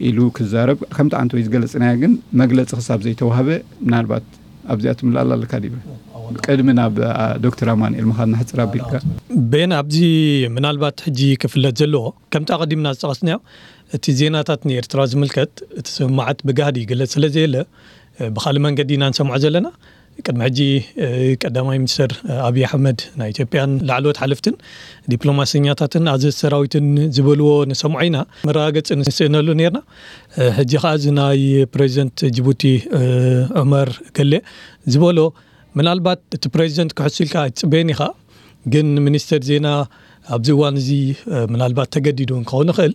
ኢሉ ክዛረብ ከምቲ ዓንተ ወይ ዝገለጽናዮ ግን መግለጺ ክሳብ ዘይተዋህበ ምናልባት ኣብዚኣ ትምላላ ኣለካ ዲበ ቅድሚ ናብ ዶክተር ኣማንኤል ምኻድ ንሕፅር ኣቢልካ። ቤን ኣብዚ ምናልባት ሕጂ ክፍለጥ ዘለዎ ከምቲ ኣቐዲምና ዝጠቐስናዮ እቲ ዜናታት ንኤርትራ ዝምልከት እቲ ስምማዓት ብጋህዲ ይግለጽ ስለ ዘየለ ብካልእ መንገዲ ኢና ንሰምዖ ዘለና። ቅድሚ ሕጂ ቀዳማይ ሚኒስትር ኣብይ ኣሕመድ ናይ ኢትዮጵያን ላዕለዎት ሓለፍትን ዲፕሎማሰኛታትን ኣዘዝ ሰራዊትን ዝበልዎ ንሰምዖ ኢና፣ መረጋገፂ ንስእነሉ ነርና። ሕጂ ከዓ እዚ ናይ ፕሬዚደንት ጅቡቲ ዑመር ገሌ ዝበሎ ምናልባት እቲ ፕሬዚደንት ክሕሱ ኢልካ ኣይትፅበየን ኢኻ፣ ግን ሚኒስተር ዜና ኣብዚ እዋን እዚ ምናልባት ተገዲዱ ክኸውን ይኽእል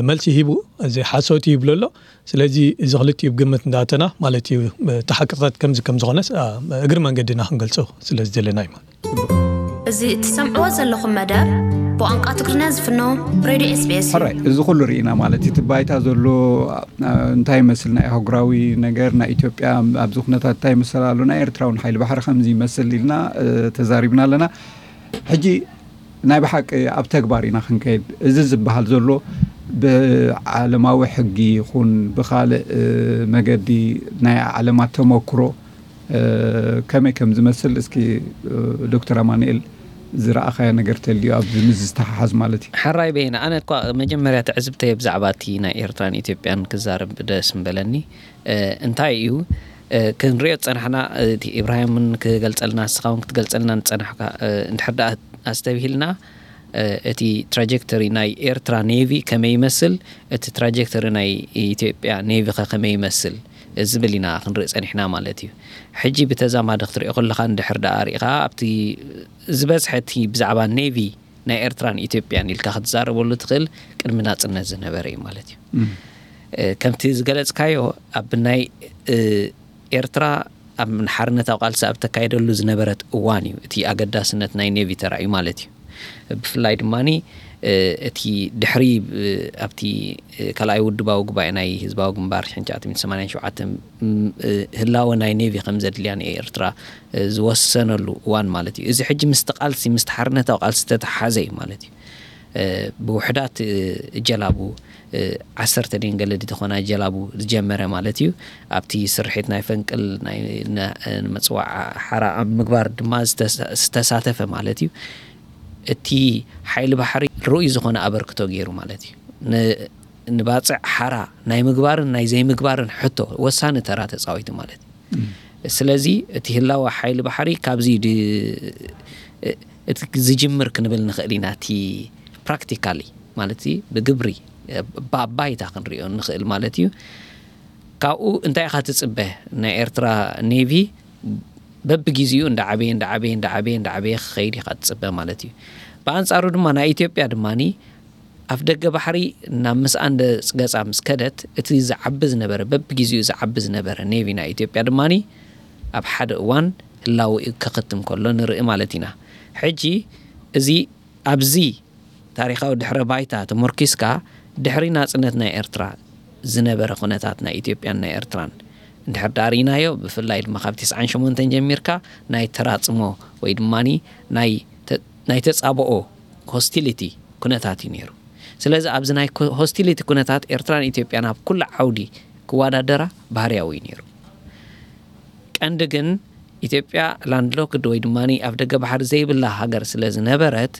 መልሲ ሂቡ እዚ ሓሶት ይብሎ ኣሎ። ስለዚ እዚ ክልቲኡ ብግምት እንዳኣተና ማለት እዩ። እቲ ሓቅታት ከምዚ ከም ዝኾነስ እግሪ መንገድና ክንገልጾ ስለ ዝደለና እዩ ማለት። እዚ እትሰምዕዎ ዘለኹም መደብ ብቋንቋ ትግርኛ ዝፍኖ ሬድዮ ኤስቢኤስ እዩ። ሕራይ እዚ ኩሉ ርኢና ማለት እቲ ባይታ ዘሎ እንታይ ይመስል ናይ ኣህጉራዊ ነገር ናይ ኢትዮጵያ ኣብዚ ኩነታት እንታይ ይመስል ኣሎ ናይ ኤርትራ እውን ሓይሊ ባሕሪ ከምዚ ይመስል ኢልና ተዛሪብና ኣለና። ሕጂ ናይ ብሓቂ ኣብ ተግባር ኢና ክንከይድ። እዚ ዝበሃል ዘሎ ብዓለማዊ ሕጊ ይኹን ብኻልእ መገዲ ናይ ዓለማት ተመክሮ ከመይ ከም ዝመስል እስኪ ዶክተር ኣማኑኤል ዝረኣኻዮ ነገር ተልዩ ኣብዚ ምስ ዝተሓሓዝ ማለት እዩ። ሕራይ በይነ ኣነ እኳ መጀመርያ ትዕዝብተይ ብዛዕባ እቲ ናይ ኤርትራን ኢትዮጵያን ክዛረብ ደስ ምበለኒ። እንታይ እዩ ክንሪኦ ዝፀናሕና እቲ ኢብራሂምን ክገልፀልና ንስኻ እውን ክትገልፀልና ንፀናሕካ እንድሕር ደኣ ኣስተብሂልና እቲ ትራጀክተሪ ናይ ኤርትራ ኔቪ ከመይ ይመስል፣ እቲ ትራጀክተሪ ናይ ኢትዮጵያ ኔቪ ከ ከመይ ይመስል ዝብል ኢና ክንርኢ ጸኒሕና ማለት እዩ። ሕጂ ብተዛማዲ ክትሪኦ ከለኻ እንድሕር ደኣ ርኢኻ ኣብቲ ዝበዝሐ እቲ ብዛዕባ ኔቪ ናይ ኤርትራን ኢትዮጵያን ኢልካ ክትዛረበሉ ትኽእል ቅድሚ ናጽነት ዝነበረ እዩ ማለት እዩ። ከምቲ ዝገለጽካዮ ኣብ ናይ ኤርትራ ኣብ ሓርነታዊ ቃልሲ ኣብ ተካየደሉ ዝነበረት እዋን እዩ እቲ ኣገዳስነት ናይ ኔቪ ተራእዩ ማለት እዩ። ብፍላይ ድማ እቲ ድሕሪ ኣብቲ ካልኣይ ውድባዊ ጉባኤ ናይ ህዝባዊ ግንባር ሽሕን ትሽዓተ ሚእትን ሰማንያን ሸውዓተን ህላወ ናይ ኔቪ ከም ዘድልያ ንኤርትራ ዝወሰነሉ እዋን ማለት እዩ። እዚ ሕጂ ምስቲ ቃልሲ ምስቲ ሓርነታዊ ቃልሲ ዝተተሓሓዘ እዩ ማለት እዩ። ብውሕዳት ጀላቡ ዓሰርተ ድን ገለ ድተኾና ጀላቡ ዝጀመረ ማለት እዩ። ኣብቲ ስርሒት ናይ ፈንቅል ናይ መፅዋዕ ሓራ ኣብ ምግባር ድማ ዝተሳተፈ ማለት እዩ። እቲ ሓይሊ ባሕሪ ርኡይ ዝኾነ ኣበርክቶ ገይሩ ማለት እዩ። ንባፅዕ ሓራ ናይ ምግባርን ናይ ዘይምግባርን ሕቶ ወሳኒ ተራ ተፃዊቱ ማለት እዩ። ስለዚ እቲ ህላወ ሓይሊ ባሕሪ ካብዚ እቲ ዝጅምር ክንብል ንኽእል ኢና። እቲ ፕራክቲካሊ ማለት ብግብሪ ብኣባይታ ክንሪኦ ንኽእል ማለት እዩ። ካብኡ እንታይ ኢኻ ትፅበ? ናይ ኤርትራ ኔቪ በብግዜኡ እንዳዓበየ እንዳዓበየ እንዳዓበየ እንዳዓበየ ክኸይድ ኢኻ ትፅበ ማለት እዩ። ብኣንፃሩ ድማ ናይ ኢትዮጵያ ድማ ኣፍ ደገ ባሕሪ ናብ ምስኣን ገፃ ምስ ከደት እቲ ዝዓቢ ዝነበረ በብግዜኡ ዝዓቢ ዝነበረ ኔቪ ናይ ኢትዮጵያ ድማ ኣብ ሓደ እዋን ህላወኡ ከኸትም ከሎ ንርኢ ማለት ኢና። ሕጂ እዚ ኣብዚ ታሪኻዊ ድሕረ ባይታ ተሞርኪስካ ድሕሪ ናጽነት ናይ ኤርትራ ዝነበረ ኩነታት ናይ ኢትዮጵያን ናይ ኤርትራን እንድሕር ዳኣ ርኢናዮ ብፍላይ ድማ ካብ ተስዓን ሸሞንተን ጀሚርካ ናይ ተራጽሞ ወይ ድማ ናይ ተጻብኦ ሆስቲሊቲ ኩነታት እዩ ነይሩ። ስለዚ ኣብዚ ናይ ሆስቲሊቲ ኩነታት ኤርትራን ኢትዮጵያን ኣብ ኩሉ ዓውዲ ክወዳደራ ባህርያዊ እዩ ነይሩ። ቀንዲ ግን ኢትዮጵያ ላንድሎክድ ወይ ድማ ኣብ ደገ ባሕሪ ዘይብላ ሃገር ስለ ዝነበረት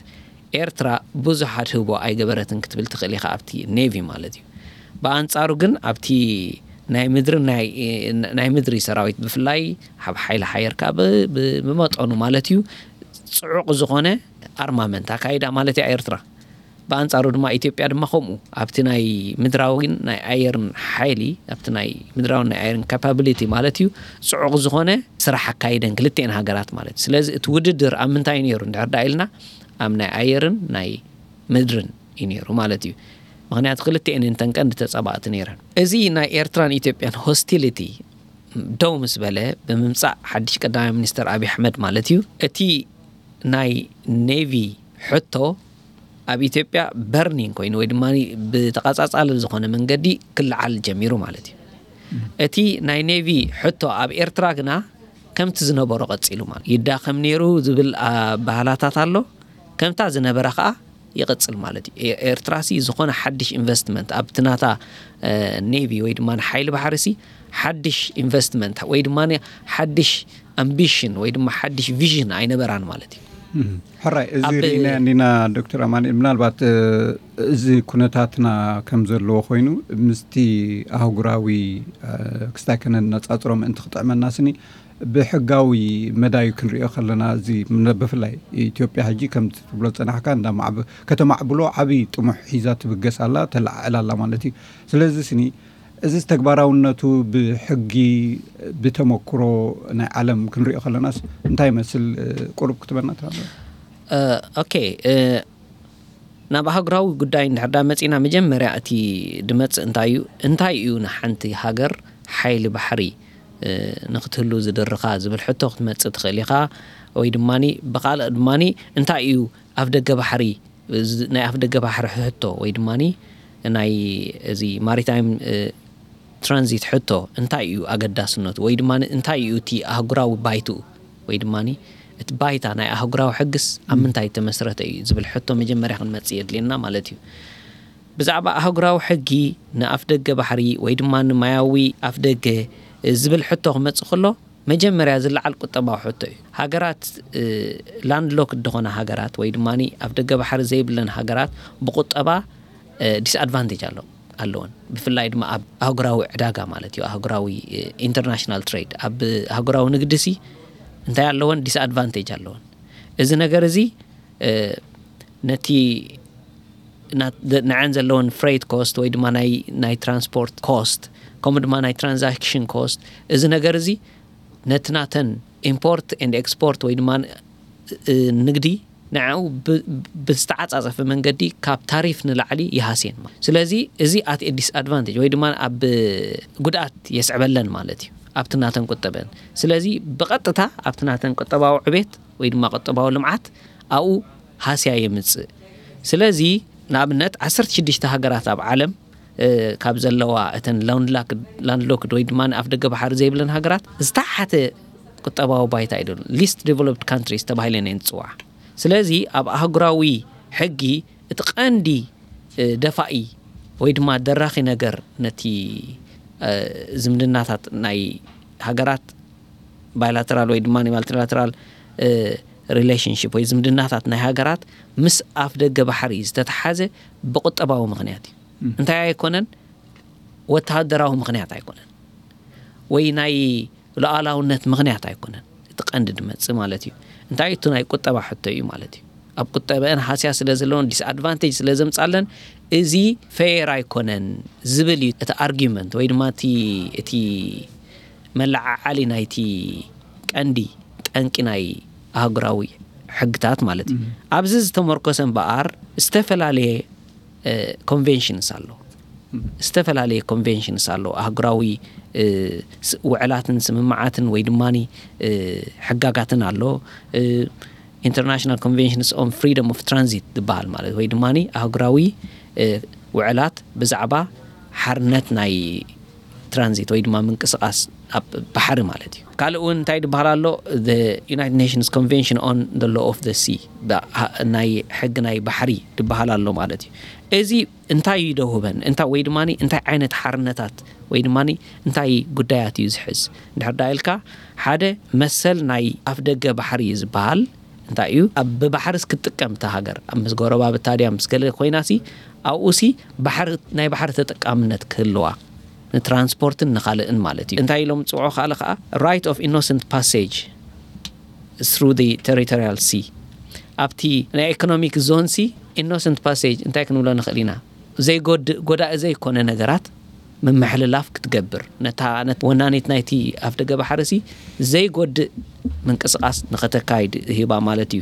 ኤርትራ ብዙሕ ኣድህቦ ኣይገበረትን ክትብል ትኽእል ኢኻ ኣብቲ ኔቪ ማለት እዩ። ብኣንጻሩ ግን ኣብቲ ናይ ምድሪ ናይ ምድሪ ሰራዊት ብፍላይ ኣብ ሓይሊ ሓየር ከኣ ብመጠኑ ማለት እዩ ጽዑቕ ዝኾነ ኣርማመንት ኣካይዳ ማለት እያ ኤርትራ። ብኣንጻሩ ድማ ኢትዮጵያ ድማ ከምኡ ኣብቲ ናይ ምድራዊን ናይ ኣየርን ሓይሊ፣ ኣብቲ ናይ ምድራዊን ናይ ኣየርን ካፓቢሊቲ ማለት እዩ፣ ጽዑቕ ዝኾነ ስራሕ ኣካይደን ክልቲኤን ሃገራት ማለት እዩ። ስለዚ እቲ ውድድር ኣብ ምንታይ እዩ ነይሩ እንድሕር ደኣ ኢልና፣ ኣብ ናይ ኣየርን ናይ ምድርን እዩ ነይሩ ማለት እዩ። ምኽንያቱ ክልቲኤን እንተን ቀንዲ ተጻባእቲ ነይረን። እዚ ናይ ኤርትራን ኢትዮጵያን ሆስቲሊቲ ደው ምስ በለ ብምምጻእ ሓድሽ ቀዳማይ ሚኒስተር ኣብይ ኣሕመድ ማለት እዩ፣ እቲ ናይ ኔቪ ሕቶ ኣብ ኢትዮጵያ በርኒንግ ኮይኑ ወይ ድማ ብተቐጻጻሊ ዝኾነ መንገዲ ክለዓል ጀሚሩ ማለት እዩ። እቲ ናይ ኔቪ ሕቶ ኣብ ኤርትራ ግና ከምቲ ዝነበሮ ቀጺሉ ማለት ይዳኸም ነይሩ ዝብል ኣበሃላታት ኣሎ። ከምታ ዝነበረ ከኣ ይቕጽል ማለት እዩ። ኤ- ኤርትራሲ ዝኾነ ሓድሽ ኢንቨስትመንት ኣብቲ ናታ እ፣ ኔቪ ወይ ድማ ሓይሊ ባሕሪሲ ሓድሽ ኢንቨስትመንት ወይ ድማ ሓድሽ ኣምቢሽን ወይ ድማ ሓድሽ ቪዥን ኣይነበራን ማለት እዩ። እም፣ ሕራይ፣ እዚ ኣብ ርኢና እንዲና ዶክተር ኣማኑኤል። ምናልባት እ፣ እዚ ኩነታትና ከም ዘለዎ ኮይኑ ምስቲ ኣህጉራዊ እ፣ ክስታይ ከነነጻጽሮ ምእንቲ ክጥዕመና ስኒ ብሕጋዊ መዳዩ ክንሪኦ ከለና፣ እዚ ምነ- ብፍላይ ኢትዮጵያ ሕጂ ከም ትብሎ ዝጸናሕካ እንዳ ማዕብ- ከተማዕብሎ ዓብዪ ጥሙሕ ሒዛ ትብገስ ኣላ፣ ተለዓዕል ኣላ ማለት እዩ። ስለዚ ስኒ እዚ ተግባራውነቱ ብሕጊ ብተመክሮ ናይ ዓለም ክንሪኦ ከለናስ እንታይ ይመስል? እ፣ ቁሩብ ክትበና ትኽእል? እ፣ ኦኬ፣ እ፣ ናብ ኣህጉራዊ ጉዳይ እንድሕር ዳ መጺና፣ መጀመርያ እቲ ድመጽእ እንታይ እዩ? እንታይ እዩ ንሓንቲ ሃገር ሓይሊ ባሕሪ እ፣ ንክትህሉ ዝድርኻ ዝብል ሕቶ ክትመጽእ ትኽእል ኢኻ። ወይ ድማኒ ብኻልእ ድማኒ እንታይ እዩ ኣፍ ደገ ባሕሪ፣ እዚ ናይ ኣፍ ደገ ባሕሪ ሕቶ ወይ ድማኒ ናይ እዚ ማሪታይም እ፣ ትራንዚት ሕቶ እንታይ እዩ ኣገዳስነቱ ወይ ድማ እንታይ እዩ እቲ ኣህጉራዊ ባይትኡ ወይ ድማ እቲ ባይታ ናይ ኣህጉራዊ ሕግስ ኣብ ምንታይ ተመስረተ እዩ ዝብል ሕቶ መጀመርያ ክንመጽእ የድልየና ማለት እዩ። ብዛዕባ ኣህጉራዊ ሕጊ ንኣፍ ደገ ባሕሪ ወይ ድማ ንማያዊ ኣፍ ደገ ዝብል ሕቶ ክመጽእ ከሎ መጀመርያ ዝለዓል ቁጠባዊ ሕቶ እዩ። ሃገራት ላንድ ሎክድ ዝኾነ ሃገራት ወይ ድማ ኣፍ ደገ ባሕሪ ዘይብለን ሃገራት ብቁጠባ ዲስኣድቫንቴጅ ኣሎ ኣለወን። ብፍላይ ድማ ኣብ ኣህጉራዊ ዕዳጋ ማለት እዩ፣ ኣህጉራዊ ኢንተርናሽናል ትሬድ፣ ኣብ ኣህጉራዊ ንግዲ ሲ እንታይ ኣለወን? ዲስኣድቫንቴጅ ኣለወን። እዚ ነገር እዚ እ፣ ነቲ ና- ደ- ንዐን ዘለወን ፍሬት ኮስት ወይ ድማ ናይ ናይ ትራንስፖርት ኮስት ከምኡ ድማ ናይ ትራንዛክሽን ኮስት፣ እዚ ነገር እዚ ነቲ ናተን ኢምፖርት ኤንድ ኤክስፖርት ወይ ድማ እ፣ ንግዲ ንዕኡ ብ- ብዝተዓጻጸፈ መንገዲ ካብ ታሪፍ ንላዕሊ ይሃስየን ማለት። ስለዚ እዚ ኣት ዲስኣድቫንቴጅ ወይ ድማ ኣብ ጉድኣት የስዕበለን ማለት እዩ ኣብቲ ናተን ቁጠበን። ስለዚ ብቐጥታ ኣብቲ ናተን ቁጠባዊ ዕቤት ወይ ድማ ቁጠባዊ ልምዓት ኣብኡ ሃስያ የምጽእ። ስለዚ ንኣብነት ዓሰርተ ሽዱሽተ ሃገራት ኣብ ዓለም እ፣ ካብ ዘለዋ እተን ላንድሎክድ ወይ ድማ ንኣፍ ደገ ባሕሪ ዘይብለን ሃገራት ዝተሓተ ቁጠባዊ ባይታ እዩ፣ ሊስት ዲቨሎፕድ ካንትሪስ ተባሂለን እየን ዝፅዋዓ። ስለዚ ኣብ ኣህጉራዊ ሕጊ እቲ ቀንዲ እ፣ ደፋኢ ወይ ድማ ደራኺ ነገር ነቲ እ፣ ዝምድናታት ናይ ሃገራት ባይላተራል ወይ ድማ ማልቲላተራል ሪሌሽንሽፕ ወይ ዝምድናታት ናይ ሃገራት ምስ ኣፍ ደገ ባሕሪ ዝተተሓዘ ብቁጠባዊ ምኽንያት እዩ። እንታይ ኣይኮነን፣ ወተሃደራዊ ምኽንያት ኣይኮነን ወይ ናይ ሉዓላውነት ምኽንያት ኣይኮነን። እቲ ቀንዲ ድመጽእ ማለት እዩ እንታይ እቲ ናይ ቁጠባ ሕቶ እዩ ማለት እዩ። ኣብ ቁጠበአን ሃስያ ስለ ዘለዎን ዲስኣድቫንቴጅ ስለ ዘምጻለን እዚ ፌር ኣይኮነን ዝብል እዩ እቲ ኣርጊመንት ወይ ድማ እቲ እቲ መለዓዓሊ ናይቲ ቀንዲ ጠንቂ ናይ ኣህጉራዊ ሕግታት ማለት እዩ። ኣብዚ ዝተመርኮሰ እምበኣር ዝተፈላለየ ኮንቬንሽንስ ኣሎ። ዝተፈላለየ ኮንቬንሽንስ ኣሎ። ኣህጉራዊ ውዕላትን ስምምዓትን ወይ ድማ ሕጋጋትን ኣሎ። ኢንተርናሽናል ኮንቬንሽንስ ኦን ፍሪደም ኦፍ ትራንዚት ዝበሃል ማለት ወይ ድማ ኣህጉራዊ ውዕላት ብዛዕባ ሓርነት ናይ ትራንዚት ወይ ድማ ምንቅስቃስ ኣብ ባሕሪ ማለት እዩ። ካልእ እውን እንታይ ዝበሃል ኣሎ? United Nations Convention on the Law of the Sea፣ ናይ ሕጊ ናይ ባሕሪ ዝበሃል ኣሎ ማለት እዩ። እዚ እንታይ እዩ ደውበን እንታይ ወይ ድማ እንታይ ዓይነት ሓርነታት ወይ ድማ እንታይ ጉዳያት እዩ ዝሕዝ እንድሕር ዳ ኢልካ፣ ሓደ መሰል ናይ ኣፍ ደገ ባሕሪ እዩ ዝበሃል እንታይ እዩ? ኣብ ብባሕርስ ክትጥቀም እታ ሃገር ኣብ ምስ ጎረባብታ ድያ ምስ ገለ ኮይናሲ ኣብኡሲ ባሕሪ ናይ ባሕሪ ተጠቃምነት ክህልዋ ንትራንስፖርትን ንኻልእን ማለት እዩ። እንታይ ኢሎም ዝፅውዑ ካለ ከዓ right of innocent passage through the territorial sea ኣብቲ ናይ ኢኮኖሚክ ዞን ሲ ኢኖሰንት ፓሴጅ እንታይ ክንብሎ ንኽእል ኢና? ዘይጎድእ፣ ጎዳኢ ዘይኮነ ነገራት ምምሕልላፍ ክትገብር፣ ነታ፣ ነት-፣ ወናኒት ናይቲ ኣፍደገ ባሕሪ ሲ ዘይጎድእ ምንቅስቓስ ንኸተካይድ ይህባ ማለት እዩ።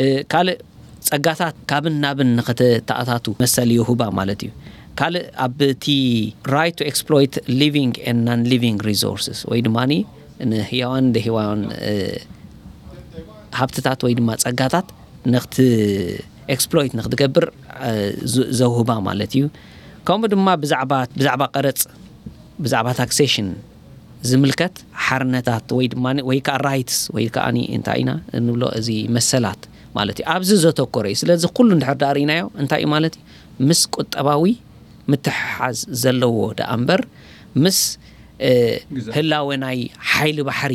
እ፣ ካልእ ጸጋታት ካብን ናብን ንኸተተኣታቱ መሰል ይህባ ማለት እዩ። ካልእ ኣብቲ right to exploit living and non-living resources ወይ ድማ ንህያዋን ደህያዋን፣ እ፣ ሃብትታት ወይ ድማ ጸጋታት ንኽት-፣ ኤክስፕሎይት ንኽትገብር፣ እ፣ ዝ-፣ ዘውህባ ማለት እዩ። ከምኡ ድማ ብዛዕባ፣ ብዛዕባ ቀረጽ፣ ብዛዕባ ታክሴሽን ዝምልከት ሓርነታት ወይ ድማ፣ ወይ ከዓ ራይትስ ወይ ከዓ እንታይ ኢና እንብሎ፣ እዚ መሰላት ማለት እዩ። ኣብዚ ዘተኮረ እዩ። ስለዚ ኩሉ እንድሕር ደኣ ርኢናዮ እንታይ እዩ ማለት እዩ? ምስ ቁጠባዊ ምትሕሓዝ ዘለዎ ደኣ እምበር ምስ፣ እ፣ ግዛት። ህላወ ናይ ሓይሊ ባሕሪ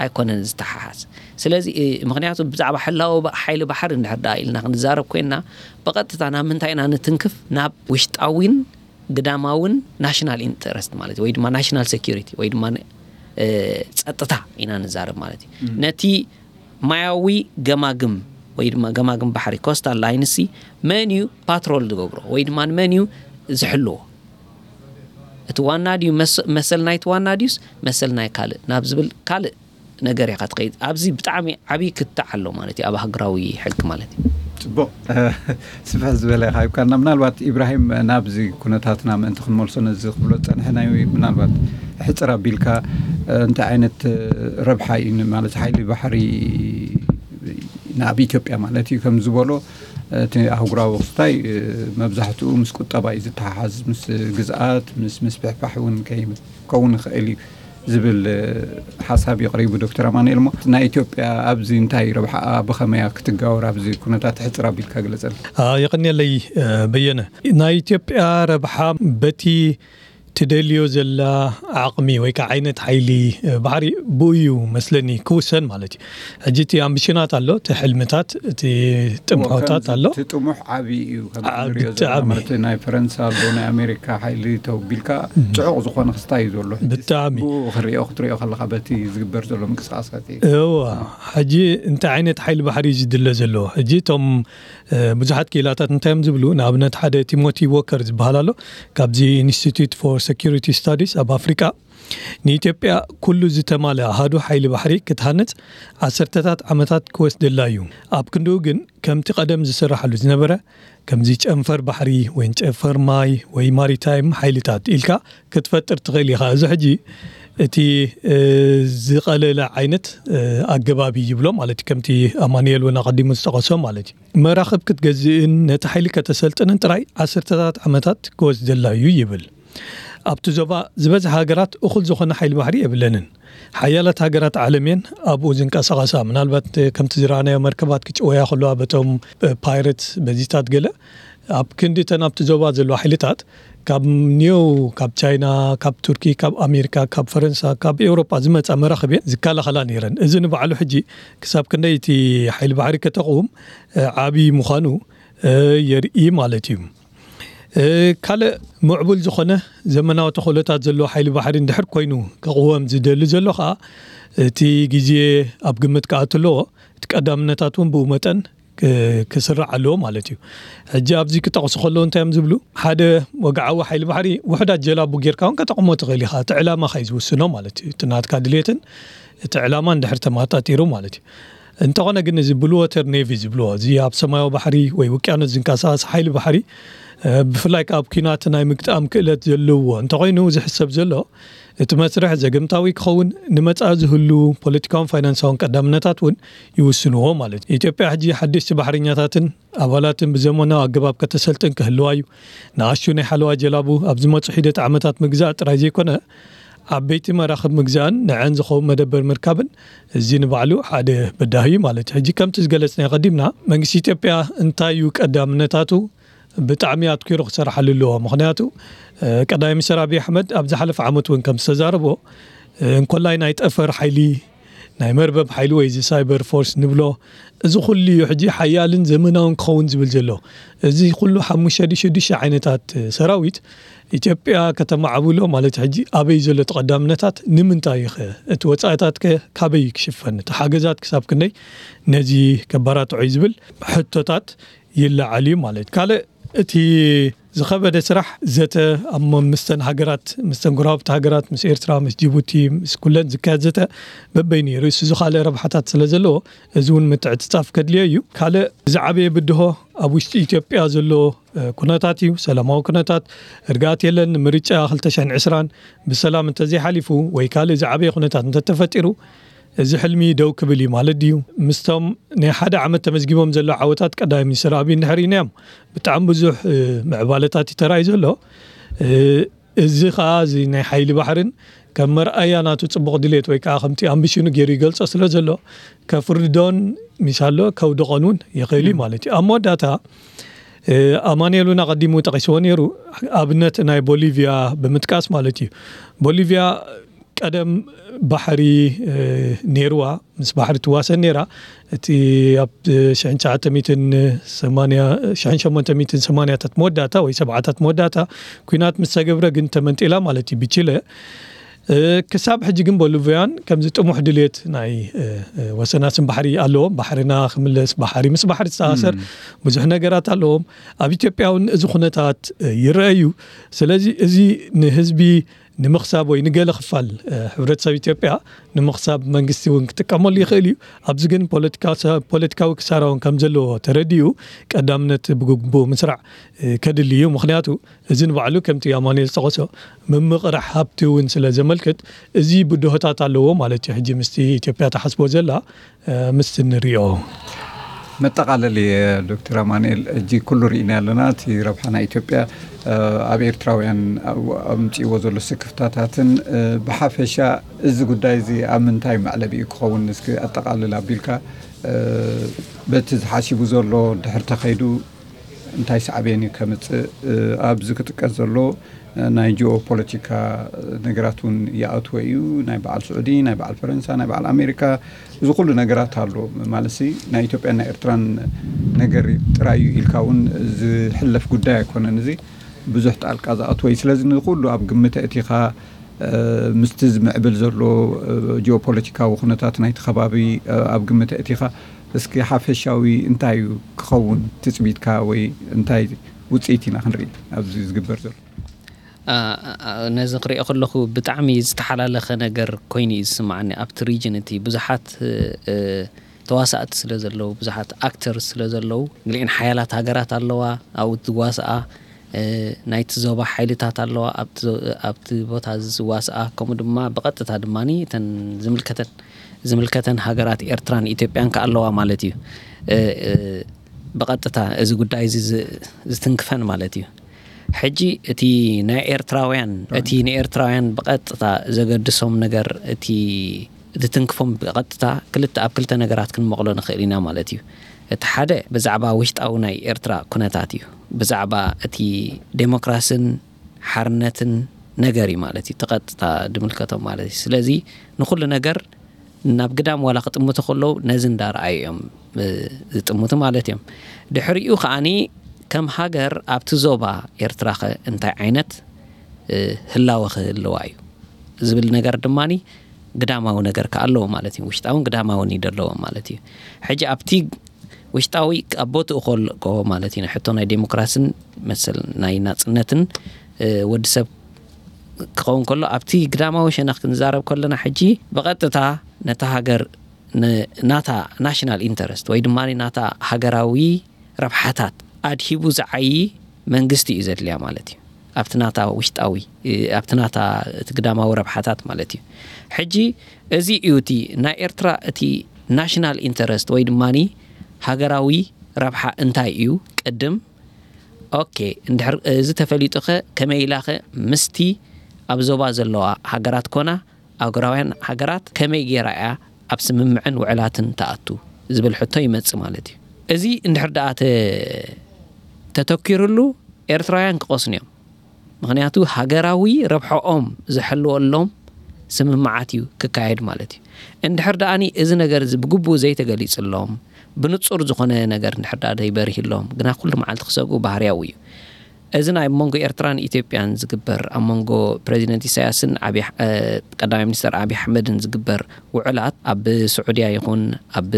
ኣይኮነን ዝተሓሓዝ። ስለዚ፣ እ፣ ምኽንያቱ ብዛዕባ ሕላወ ባ-፣ ሓይሊ ባሕሪ እንድሕር ደኣ ኢልና ክንዛረብ ኮይንና፣ ብቐጥታ ናብ ምንታይ ኢና ንትንክፍ? ናብ ውሽጣዊን ግዳማውን ናሽናል ኢንተረስት ማለት እዩ፣ ወይ ድማ ናሽናል ሴኪሪቲ ወይ ድማ፣ እ፣ ጸጥታ ኢና ንዛረብ ማለት እዩ። ነቲ ማያዊ ገማግም ወይ ድማ ገማግም ባሕሪ፣ ኮስታል ላይንሲ፣ መን እዩ ፓትሮል ዝገብሮ ወይ ድማ መን እዩ ዝሕልዎ? እቲ ዋና ድዩ መስ-፣ መሰል ናይቲ ዋና ድዩስ መሰል ናይ ካልእ ናብ ዝብል ካልእ ነገር ኢኻ ትኸይድ። ኣብዚ ብጣዕሚ ዓብዪ ክትዕ ኣሎ ማለት እዩ ኣብ ሃገራዊ ሕጊ ማለት እዩ። ጽቡቕ፣ ስፍሕ ዝበለ ኢኻ ሂብካና። ምናልባት ኢብራሂም ናብዚ ኩነታትና ምእንቲ ክንመልሶ ነዚ ክብሎ ዝጸንሐ ናይ ምናልባት ሕጽር ኣቢልካ እንታይ ዓይነት ረብሓ እዩ ን-፣ ማለት ሓይሊ ባሕሪ ናብ ኢትዮጵያ ማለት እዩ ከም ዝበሎ እቲ ኣህጉራዊ ክስታይ መብዛሕትኡ ምስ ቁጠባ እዩ ዝተሓሓዝ፣ ምስ ግዝኣት፣ ምስ ምስፍሕፋሕ እውን ከይ-፣ ክኸውን ይኽእል እዩ ዝብል ሓሳብ እዩ ኣቕሪቡ ዶክተር ኣማኑኤል። እሞ ናይ ኢትዮጵያ ኣብዚ እንታይ ረብሓኣ፣ ብኸመያ ክትጋወር ኣብዚ ኩነታት ሕጽር ኣቢልካ ግለጸልና። አ፣ የቐንየለይ፣ እ፣ በየነ። ናይ ኢትዮጵያ ረብሓ በቲ ትደልዮ ዘላ ዓቕሚ ወይ ከዓ ዓይነት ሓይሊ፣ እ፣ ባሕሪ ብኡ እዩ መስለኒ ክውሰን ማለት እዩ። ሕጂ እቲ ኣምቢሽናት ኣሎ፣ እቲ ሕልምታት፣ እቲ ጥምሖታት ኣሎ። እቲ ጥሙሕ ዓቢ እዩ፣ ከም ዓ-፣ ንሪኦ ብጣዕሚ። ዘለና ማለት ናይ ፈረንሳ ኣሎ፣ ናይ ኣሜሪካ ሓይሊ ተውቢልካ ጽዑቕ ዝኾነ ክስታይ እዩ ዘሎ። ሕጂ ብጣዕሚ። ብኡ ክሪኦ፣ ክትሪኦ ከለኻ በቲ ዝግበር ዘሎ ምንቅስቃሳት እዩ። እዋ፣ ሕጂ እንታይ ዓይነት ሓይሊ ባሕሪ እዩ ዝድለ ዘሎ? ሕጂ እቶም፣ እ፣ ብዙሓት ክኢላታት እንታይ እዮም ዝብሉ? ንኣብነት ሓደ ቲሞቲ ዎከር ዝበሃል ኣሎ፣ ካብዚ ኢንስቲትዩት ፎር ሴኩሪቲ ስታዲስ ኣብ ኣፍሪቃ፣ ንኢትዮጵያ ኩሉ ዝተማልአ ኣሃዱ ሓይሊ ባሕሪ ክትሃንጽ ዓሰርተታት ዓመታት ክወስደላ እዩ። ኣብ ክንድኡ ግን ከምቲ ቀደም ዝስራሓሉ ዝነበረ፣ ከምዚ ጨንፈር ባሕሪ ወይ ጨንፈር ማይ ወይ ማሪታይም ሓይልታት ኢልካ ክትፈጥር ትኽእል ኢኻ። እዚ ሕጂ እቲ፣ እ፣ ዝቐለለ ዓይነት፣ እ፣ ኣገባብ እዩ ይብሎ ማለት እዩ። ከምቲ ኣማኑኤል እውን ኣቐዲሙ ዝጠቐሶ ማለት እዩ። መራኽብ ክትገዝእን ነቲ ሓይሊ ከተሰልጥንን ጥራይ ዓሰርተታት ዓመታት ክወስደላ እዩ ይብል። ኣብቲ ዞባ ዝበዝሓ ሃገራት እኹል ዝኾነ ሓይሊ ባሕሪ የብለንን። ሓያላት ሃገራት ዓለም እየን ኣብኡ ዝንቀሳቐሳ። ምናልባት ከምቲ ዝረኣናዮ መርከባት ክጭወያ ከለዋ በቶም፣ እ፣ ፓይረትስ በዚታት ገለ ኣብ ክንዲ እተን ኣብቲ ዞባ ዘለዋ ሓይልታት ካብ ኒው፣ ካብ ቻይና፣ ካብ ቱርኪ፣ ካብ ኣሜሪካ፣ ካብ ፈረንሳ፣ ካብ ኤውሮጳ ዝመጻ መራኽብ እየን ዝከላኸላ ነይረን። እዚ ንባዕሉ ሕጂ ክሳብ ክንደይ እቲ ሓይሊ ባሕሪ ከተቕውም፣ እ፣ ዓቢ ምዃኑ፣ እ፣ የርኢ ማለት እዩ። እ፣ ካልእ ምዕቡል ዝኾነ ዘመናዊ ተኽእሎታት ዘለዎ ሓይሊ ባሕሪ እንድሕር ኮይኑ ክቕወም ዝደሊ ዘሎ ኸኣ፣ እቲ ግዜ ኣብ ግምት ክኣቱ ኣለዎ። እቲ ቀዳምነታት እውን ብኡ መጠን ክ-፣ ክስራዕ ኣለዎ ማለት እዩ። ሕጂ ኣብዚ ክጠቕሱ ከለዉ እንታይ እዮም ዝብሉ? ሓደ ወግዓዊ ሓይሊ ባሕሪ ውሑዳት ጀላቡ ጌርካ እውን ከተቕሞ ትኽእል ኢኻ። እቲ ዕላማኻ እዩ ዝውስኖ ማለት እዩ። እቲ ናትካ ድሌትን እቲ ዕላማ እንድሕር ተመጣጢሩ ማለት እዩ። እንተኾነ ግን እዚ ብሉ ወተር ኔቪ ዝብልዎ፣ እዚ ኣብ ሰማያዊ ባሕሪ ወይ ውቅያኖስ ዝንቀሳቐስ ሓይሊ ባሕሪ፣ እ፣ ብፍላይ ከኣ ኣብ ኲናት ናይ ምግጣም ክእለት ዘለዎ እንተኾይኑ ዝሕሰብ ዘሎ፣ እቲ መስርሕ ዘገምታዊ ክኸውን፣ ንመጻኢ ዝህሉ ፖለቲካውን ፋይናንሳውን ቀዳምነታት እውን ይውስንዎ ማለት እዩ። ኢትዮጵያ ሕጂ ሓደሽቲ ባሕረኛታትን ኣባላትን ብዘመናዊ ኣገባብ ከተሰልጥን ክህልዋ እዩ። ንኣሽቱ ናይ ሓለዋ ጀላቡ ኣብ ዝመጹ ሒደት ዓመታት ምግዛእ ጥራይ ዘይኮነ፣ ዓበይቲ መራኽብ ምግዛእን ንዐን ዝኸውን መደበር ምርካብን፣ እዚ ንባዕሉ ሓደ በዳሂ እዩ ማለት እዩ። ሕጂ ከምቲ ዝገለጽናዮ ቀዲምና፣ መንግስቲ ኢትዮጵያ እንታይ እዩ ቀዳምነታቱ ብጣዕሚ ኣትኪሩ ክሰርሓሉ ኣለዎ። ምኽንያቱ፣ እ፣ ቀዳማይ ሚኒስትር ኣብይ ኣሕመድ ኣብ ዝሓለፈ ዓመት እውን ከም ዝተዛረቦ፣ እ፣ እንኮላይ ናይ ጠፈር ሓይሊ፣ ናይ መርበብ ሓይሊ ወይ እዚ ሳይበር ፎርስ ንብሎ፣ እዚ ኩሉ እዩ ሕጂ ሓያልን ዘመናውን ክኸውን ዝብል ዘሎ። እዚ ኩሉ ሓሙሽተ ድዩ ሽዱሽተ ዓይነታት ሰራዊት ኢትዮጵያ ከተማዕብሎ ማለት ሕጂ ኣበይ ዘሎ ተቐዳምነታት ንምንታይ እዩ ኸ? እቲ ወጻኢታት ከ ካበይ ክሽፈን? እቲ ሓገዛት ክሳብ ክንደይ ነዚ ከባራትዖ እዩ ዝብል ሕቶታት ይለዓል እዩ ማለት እዩ። ካልእ እቲ ዝኸበደ ስራሕ ዘተ ኣብ መ-፣ ምስተን ሃገራት፣ ምስተን ጎረባብቲ ሃገራት፣ ምስ ኤርትራ፣ ምስ ጅቡቲ፣ ምስ ኩለን ዝካየድ ዘተ በበይኑ እዩ። ርእሱ ዝኻልእ ረብሓታት ስለ ዘለዎ፣ እዚ እውን ምትዕጽጻፍ ከድልዮ እዩ። ካልእ ዝዓበየ ብድሆ ኣብ ውሽጢ ኢትዮጵያ ዘሎ፣ እ፣ ኩነታት እዩ። ሰላማዊ ኩነታት፣ እርጋት የለን። ምርጫ ክልተ ሽሕን ዕስራን ብሰላም እንተዘይሓሊፉ ወይ ካልእ ዝዓበየ ኩነታት እንተተፈጢሩ፣ እዚ ሕልሚ ደው ክብል እዩ ማለት ድዩ? ምስቶም ናይ ሓደ ዓመት ተመዝጊቦም ዘለዉ ዓወታት ቀዳማይ ሚኒስትር ኣብይ እንድሕር ኢናዮም፣ ብጣዕሚ ብዙሕ፣ እ፣ ምዕባለታት እዩ ተራእዩ ዘሎ። እ፣ እዚ ኸኣ እዚ ናይ ሓይሊ ባሕርን ከም መርኣያ ናቱ ጽቡቕ ድሌት ወይ ከኣ ከምቲ ኣምቢሽኑ ገይሩ ይገልጾ ስለ ዘሎ፣ ከፍርዶን ሚሳሎ ከውድቖን እውን ይኽእል እዩ ማለት እዩ። ኣብ መወዳእታ፣ እ፣ ኣማኑኤል እውን ኣቐዲሙ ጠቒስዎ ነይሩ። ኣብነት ናይ ቦሊቪያ ብምጥቃስ ማለት እዩ። ቦሊቪያ ቀደም ባሕሪ፣ እ፣ ነይርዋ፣ ምስ ባሕሪ ትዋሰን ነይራ። እቲ ኣብ ሽሕን ትሽዓተ ሚእትን ሰማንያ፣ ሽሕን ሸሞንተ ሚእትን ሰማንያታት መወዳእታ ወይ ሰብዓታት መወዳእታ ኲናት ምስ ተገብረ ግን ተመንጢላ ማለት እዩ ብቺለ። እ፣ ክሳብ ሕጂ ግን ቦሊቪያን ከምዚ ጥሙሕ ድሌት ናይ፣ እ፣ እ፣ ወሰናስን ባሕሪ ኣለዎም። ባሕርና ክምለስ፣ ባሕሪ ምስ ባሕሪ ዝተኣሳሰር ብዙሕ ነገራት ኣለዎም። ኣብ ኢትዮጵያ እውን እዚ ኩነታት፣ እ፣ ይረአ እዩ። ስለዚ እዚ ንህዝቢ ንምኽሳብ ወይ ንገለ ክፋል፣ እ፣ ሕብረተሰብ ኢትዮጵያ ንምኽሳብ መንግስቲ እውን ክጥቀመሉ ይኽእል እዩ። ኣብዚ ግን ፖለቲካ-፣ ፖለቲካዊ ክሳራ እውን ከም ዘለዎ ተረዲኡ ቀዳምነት ብግቡእ ምስራዕ፣ እ፣ ከድሊ እዩ። ምኽንያቱ እዚ ንባዕሉ ከምቲ ኣማኑኤል ዝጠቐሶ ምምቕራሕ ሃብቲ እውን ስለ ዘመልክት እዚ ብድሆታት ኣለዎ ማለት እዩ። ሕጂ ምስቲ ኢትዮጵያ ትሓስቦ ዘላ፣ እ፣ ምስቲ ንሪኦ። መጠቓለሊ፣ ዶክተር ኣማኑኤል፣ ሕጂ ኩሉ ርኢና ኣለና። እቲ ረብሓ ናይ ኢትዮጵያ፣ እ፣ ኣብ ኤርትራውያን ኣብ-፣ ኣምጺእዎ ዘሎ ስክፍታታትን፣ እ፣ ብሓፈሻ እዚ ጉዳይ እዚ ኣብ ምንታይ መዕለቢኡ ክኸውን እስኪ ኣጠቓልል ኣቢልካ፣ እ፣ በቲ ዝሓሲቡ ዘሎ ድሕር ተኸይዱ እንታይ ሳዕቤን እዩ ከምጽእ? እ፣ ኣብዚ ክጥቀስ ዘሎ፣ እ፣ ናይ ጂኦ ፖለቲካ ነገራት እውን ይኣትዎ እዩ። ናይ በዓል ስዑዲ፣ ናይ በዓል ፈረንሳ፣ ናይ በዓል ኣሜሪካ፣ እዚ ኩሉ ነገራት ኣሎ። ማለት ሲ ናይ ኢትዮጵያን ናይ ኤርትራን ነገር ጥራይ እዩ ኢልካ እውን ዝሕለፍ ጉዳይ ኣይኮነን። እዚ ብዙሕ ጣልቃ ዝኣትዎ እዩ። ስለዚ ንኩሉ ኣብ ግምት ኣእቲኻ፣ እ፣ ምስቲ ዝምዕብል ዘሎ፣ እ፣ ጂኦ ፖለቲካዊ ኩነታት ናይቲ ከባቢ፣ እ፣ ኣብ ግምት ኣእቲኻ እስኪ ሓፈሻዊ እንታይ እዩ ክኸውን ትጽቢትካ ወይ እንታይ ውጽኢት ኢና ክንርኢ ኣብዚ ዝግበር ዘሎ? ኣ፣ ኣ፣ ነዚ ክሪኦ ከለኹ ብጣዕሚ ዝተሓላለኸ ነገር ኮይኑ እዩ ዝስምዓኒ። ኣብቲ ሪጅን እቲ ብዙሓት፣ እ፣ ተዋሳእቲ ስለ ዘለዉ፣ ብዙሓት ኣክተርስ ስለ ዘለዉ፣ ገሊአን ሓያላት ሃገራት ኣለዋ ኣብኡ ዝዋስኣ፣ እ፣ ናይቲ ዞባ ሓይልታት ኣለዋ ኣብቲ ዞ-፣ ኣብቲ ቦታ እዚ ዝዋስኣ፣ ከምኡ ድማ ብቐጥታ ድማ እተን ዝምልከተን፣ ዝምልከተን ሃገራት ኤርትራን ኢትዮጵያን ከኣ ኣለዋ ማለት እዩ። እ፣ እ፣ ብቐጥታ እዚ ጉዳይ እዚ ዝ-፣ ዝትንክፈን ማለት እዩ። ሕጂ እቲ ናይ ኤርትራውያን፣ እቲ ንኤርትራውያን ብቐጥታ ዘገድሶም ነገር፣ እቲ ዝትንክፎም ብቐጥታ ክልተ፣ ኣብ ክልተ ነገራት ክንመቕሎ ንኽእል ኢና ማለት እዩ። እቲ ሓደ ብዛዕባ ውሽጣዊ ናይ ኤርትራ ኩነታት እዩ። ብዛዕባ እቲ ዴሞክራስን ሓርነትን ነገር እዩ ማለት እዩ። እቲ ቀጥታ ዝምልከቶም ማለት እዩ። ስለዚ ንኹሉ ነገር ናብ ግዳም ዋላ ክጥምቱ ከለዉ ነዚ እንዳረኣዩ እዮም፣ እ፣ ዝጥምቱ ማለት እዮም። ድሕሪኡ ከኣኒ ከም ሃገር ኣብቲ ዞባ ኤርትራኸ እንታይ ዓይነት፣ እ፣ ህላወ ክህልዋ እዩ ዝብል ነገር ድማኒ ግዳማዊ ነገር ከኣ ኣለዎ ማለት እዩ። ውሽጣውን ግዳማውን እዩ ዘለዎም ማለት እዩ። ሕጂ ኣብቲ ውሽጣዊ ኣብ ቦትኡ ከሎ ማለት እዩ። ሕቶ ናይ ዴሞክራስን መሰል ናይ ናጽነትን፣ እ፣ ወዲ ሰብ ክኸውን ከሎ፣ ኣብቲ ግዳማዊ ሸነኽ ክንዛረብ ከለና፣ ሕጂ ብቐጥታ ነታ ሃገር ን-፣ ናታ ናሽናል ኢንተረስት ወይ ድማ ናታ ሃገራዊ ረብሓታት ኣድሂቡ ዝዓዪ መንግስቲ እዩ ዘድልያ ማለት እዩ። ኣብቲ ናታ ውሽጣዊ፣ እ፣ ኣብቲ ናታ እቲ ግዳማዊ ረብሓታት ማለት እዩ። ሕጂ እዚ እዩ እቲ ናይ ኤርትራ እቲ ናሽናል ኢንተረስት ወይ ድማ ሃገራዊ ረብሓ እንታይ እዩ ቅድም? ኦኬ፣ እንድሕር እዚ ተፈሊጡኸ ከመይ ኢላኸ ምስቲ ኣብ ዞባ ዘለዋ ሃገራት ኮና ኣህጉራውያን ሃገራት ከመይ ገይራ እያ ኣብ ስምምዕን ውዕላትን ትኣቱ ዝብል ሕቶ ይመጽእ ማለት እዩ። እዚ እንድሕር ደኣ ተ-፣ ተተኪሩሉ ኤርትራውያን ክቐስኑ እዮም። ምኽንያቱ ሃገራዊ ረብሐኦም ዝሕልወሎም ስምምዓት እዩ ክካየድ ማለት እዩ። እንድሕር ደኣኒ እዚ ነገር እዚ ብግቡእ ዘይተገሊጽሎም፣ ብንጹር ዝኾነ ነገር እንድሕር ደኣ ዘይበርህሎም፣ ግና ኩሉ መዓልቲ ክሰግኡ ባህርያዊ እዩ። እዚ ናይ መንጎ ኤርትራን ኢትዮጵያን ዝግበር፣ ኣብ መንጎ ፕሬዚደንት ኢሳያስን ኣብይ ኣሕ- እ፣ ቀዳማይ ሚኒስተር ኣብይ ኣሕመድን ዝግበር ውዕላት፣ ኣብ ስዑድያ ይኹን ኣብ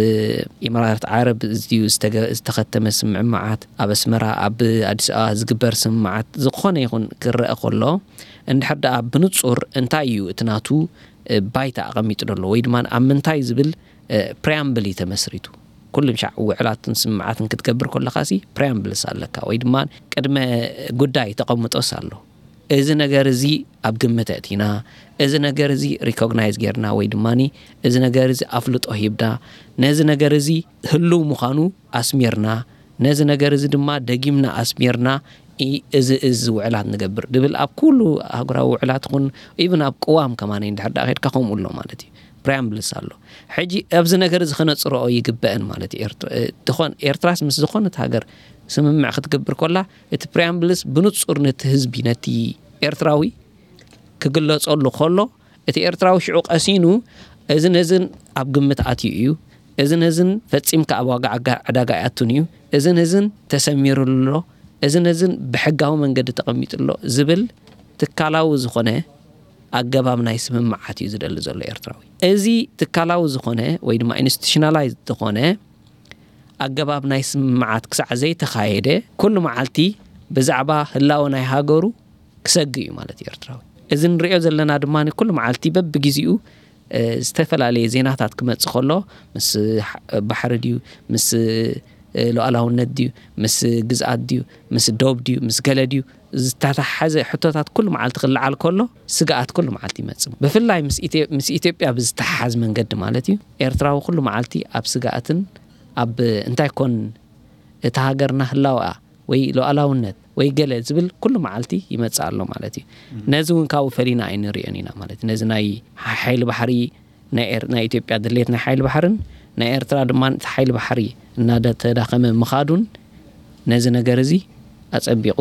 ኢማራት ዓረብ እዚዩ ዝተገ- ዝተኸተመ ስምምዓት፣ ኣብ ኣስመራ ኣብ ኣዲስ ኣበባ ዝግበር ስምምዓት ዝኾነ ይኹን ክረአ ከሎ፣ እንድሕር ደኣ ብንጹር እንታይ እዩ እቲ ናቱ እ፣ ባይታ ኣቐሚጡ ዘሎ ወይ ድማ ኣብ ምንታይ ዝብል ፕሪያምብል እዩ ተመስሪቱ። ኩሉም ሻዕ ውዕላትን ስምምዓትን ክትገብር ከለኻ ሲ ፕሪያምብልስ ኣለካ ወይ ድማ ቅድመ ጉዳይ ተቐምጦስ ኣሎ። እዚ ነገር እዚ ኣብ ግምት ኣእቲና፣ እዚ ነገር እዚ ሪኮግናይዝ ጌርና ወይ ድማ እዚ ነገር እዚ ኣፍልጦ ሂብና፣ ነዚ ነገር እዚ ህልው ምዃኑ ኣስሚርና፣ ነዚ ነገር እዚ ድማ ደጊምና ኣስሚርና ኢ- እዚ እዚ ውዕላት ንገብር ድብል ኣብ ኩሉ ኣህጉራዊ ውዕላት ኹን ኢቭን ኣብ ቅዋም ከማን እንድሕር ደኣ ኸድካ ከምኡ ኣሎ ማለት እዩ። ፕሪያምብልስ ኣሎ። ሕጂ ኣብዚ ነገር እዚ ክነጽርኦ ይግበአን ማለት እዩ። ኤርት- እ፣ ዝኾን ኤርትራስ ምስ ዝኾነት ሃገር ስምምዕ ክትገብር ኮላ እቲ ፕሪያምብልስ ብንጹር ነቲ ህዝቢ ነቲ ኤርትራዊ ክግለጸሉ ከሎ እቲ ኤርትራዊ ሽዑ ቀሲኑ እዚ ነዝን ኣብ ግምት ኣትዩ እዩ፣ እዚ ነዝን ፈጺምካ ኣብ ዋጋ ዓጋ- ዕዳጋ ኣይኣቱን እዩ፣ እዚ ነዝን ተሰሚሩሉ ኣሎ፣ እዚ ነዝን ብሕጋዊ መንገዲ ተቐሚጡ ኣሎ ዝብል ትካላዊ ዝኾነ ኣገባብ ናይ ስምምዓት እዩ ዝደሊ ዘሎ ኤርትራዊ። እዚ ትካላዊ ዝኾነ ወይ ድማ ኢንስቲቱሽናላይዝ ዝኾነ ኣገባብ ናይ ስምምዓት ክሳዕ ዘይተኻየደ ኩሉ መዓልቲ ብዛዕባ ህላወ ናይ ሃገሩ ክሰግ እዩ ማለት እዩ ኤርትራዊ። እዚ ንሪኦ ዘለና ድማ ኩሉ መዓልቲ በብግዜኡ እ፣ ዝተፈላለየ ዜናታት ክመጽእ ከሎ ምስ ሕ- ባሕሪ ድዩ ምስ እ፣ ሉዓላውነት ድዩ ምስ ግዝኣት ድዩ ምስ ዶብ ድዩ ምስ ገለ ድዩ ዝተተሓዘ ሕቶታት ኩሉ መዓልቲ ክለዓል ከሎ ስግኣት ኩሉ መዓልቲ ይመጽእ። ብፍላይ ምስ ኢትዮ- ምስ ኢትዮጵያ ብዝተሓሓዝ መንገዲ ማለት እዩ። ኤርትራዊ ኩሉ መዓልቲ ኣብ ስግኣትን ኣብ እንታይ ኮን እታ ሃገርና ህላወኣ ወይ ሉዓላውነት ወይ ገለ ዝብል ኩሉ መዓልቲ ይመጽእ ኣሎ ማለት እዩ። ነዚ እውን ካብኡ ፈሊና ኣይንሪኦን ኢና ማለት እዩ። ነዚ ናይ ሓይሊ ባሕሪ ናይ ኤር- ናይ ኢትዮጵያ ድሌት ናይ ሓይሊ ባሕርን ናይ ኤርትራ ድማ እቲ ሓይሊ ባሕሪ እናተዳኸመ ምኻዱን ነዚ ነገር እዚ ኣጸቢቑ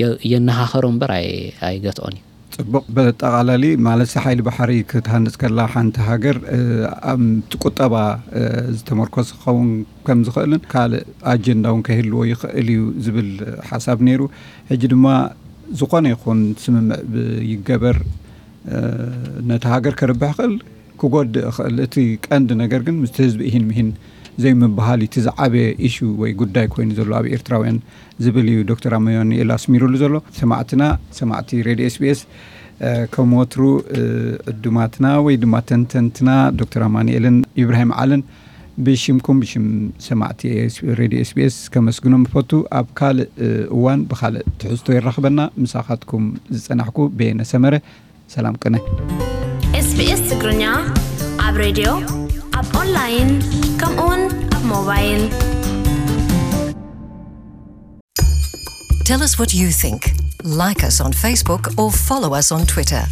የ- የነኻኸሮ እምበር ኣይ- ኣይገትኦን እዩ። ጽቡቕ። በጠቓላሊ ማለት ሓይሊ ባሕሪ ክትሃንጽ ከላ ሓንቲ ሃገር እ፣ ኣብ ቁጠባ እ፣ ዝተመርኮሰ ክኸውን ከም ዝኽእልን ካልእ ኣጀንዳ እውን ከህልዎ ይኽእል እዩ ዝብል ሓሳብ ነይሩ። ሕጂ ድማ ዝኾነ ይኹን ስምምዕ ብ- ይገበር እ፣ ነቲ ሃገር ከርብሕ ይኽእል ክጎድእ ይኽእል። እቲ ቀንዲ ነገር ግን ምስቲ ህዝቢ ኢሂን ምሂን ዘይምብሃል እዩ እቲ ዝዓበየ ኢሹ ወይ ጉዳይ ኮይኑ ዘሎ ኣብ ኤርትራውያን ዝብል እዩ ዶክተር ኣማኑኤል ኣስሚሩሉ ዘሎ። ሰማዕትና ሰማዕቲ ሬድዮ ኤስቢኤስ ከም ወትሩ ዕዱማትና ወይ ድማ ተንተንትና ዶክተር ኣማኑኤልን ኢብራሂም ዓልን ብሽምኩም ብሽም ሰማዕቲ ሬድዮ ኤስቢኤስ ከመስግኖም እፈቱ። ኣብ ካልእ እዋን ብኻልእ ትሕዝቶ የራኽበና። ምሳኻትኩም ዝጸናሕኩ በየነ ሰመረ። ሰላም ቅነ። ኤስቢኤስ ትግርኛ ኣብ ሬድዮ ኣብ ኦንላይን ከምኡውን ኣብ ሞባይል Tell us what you think. Like us on Facebook or follow us on Twitter.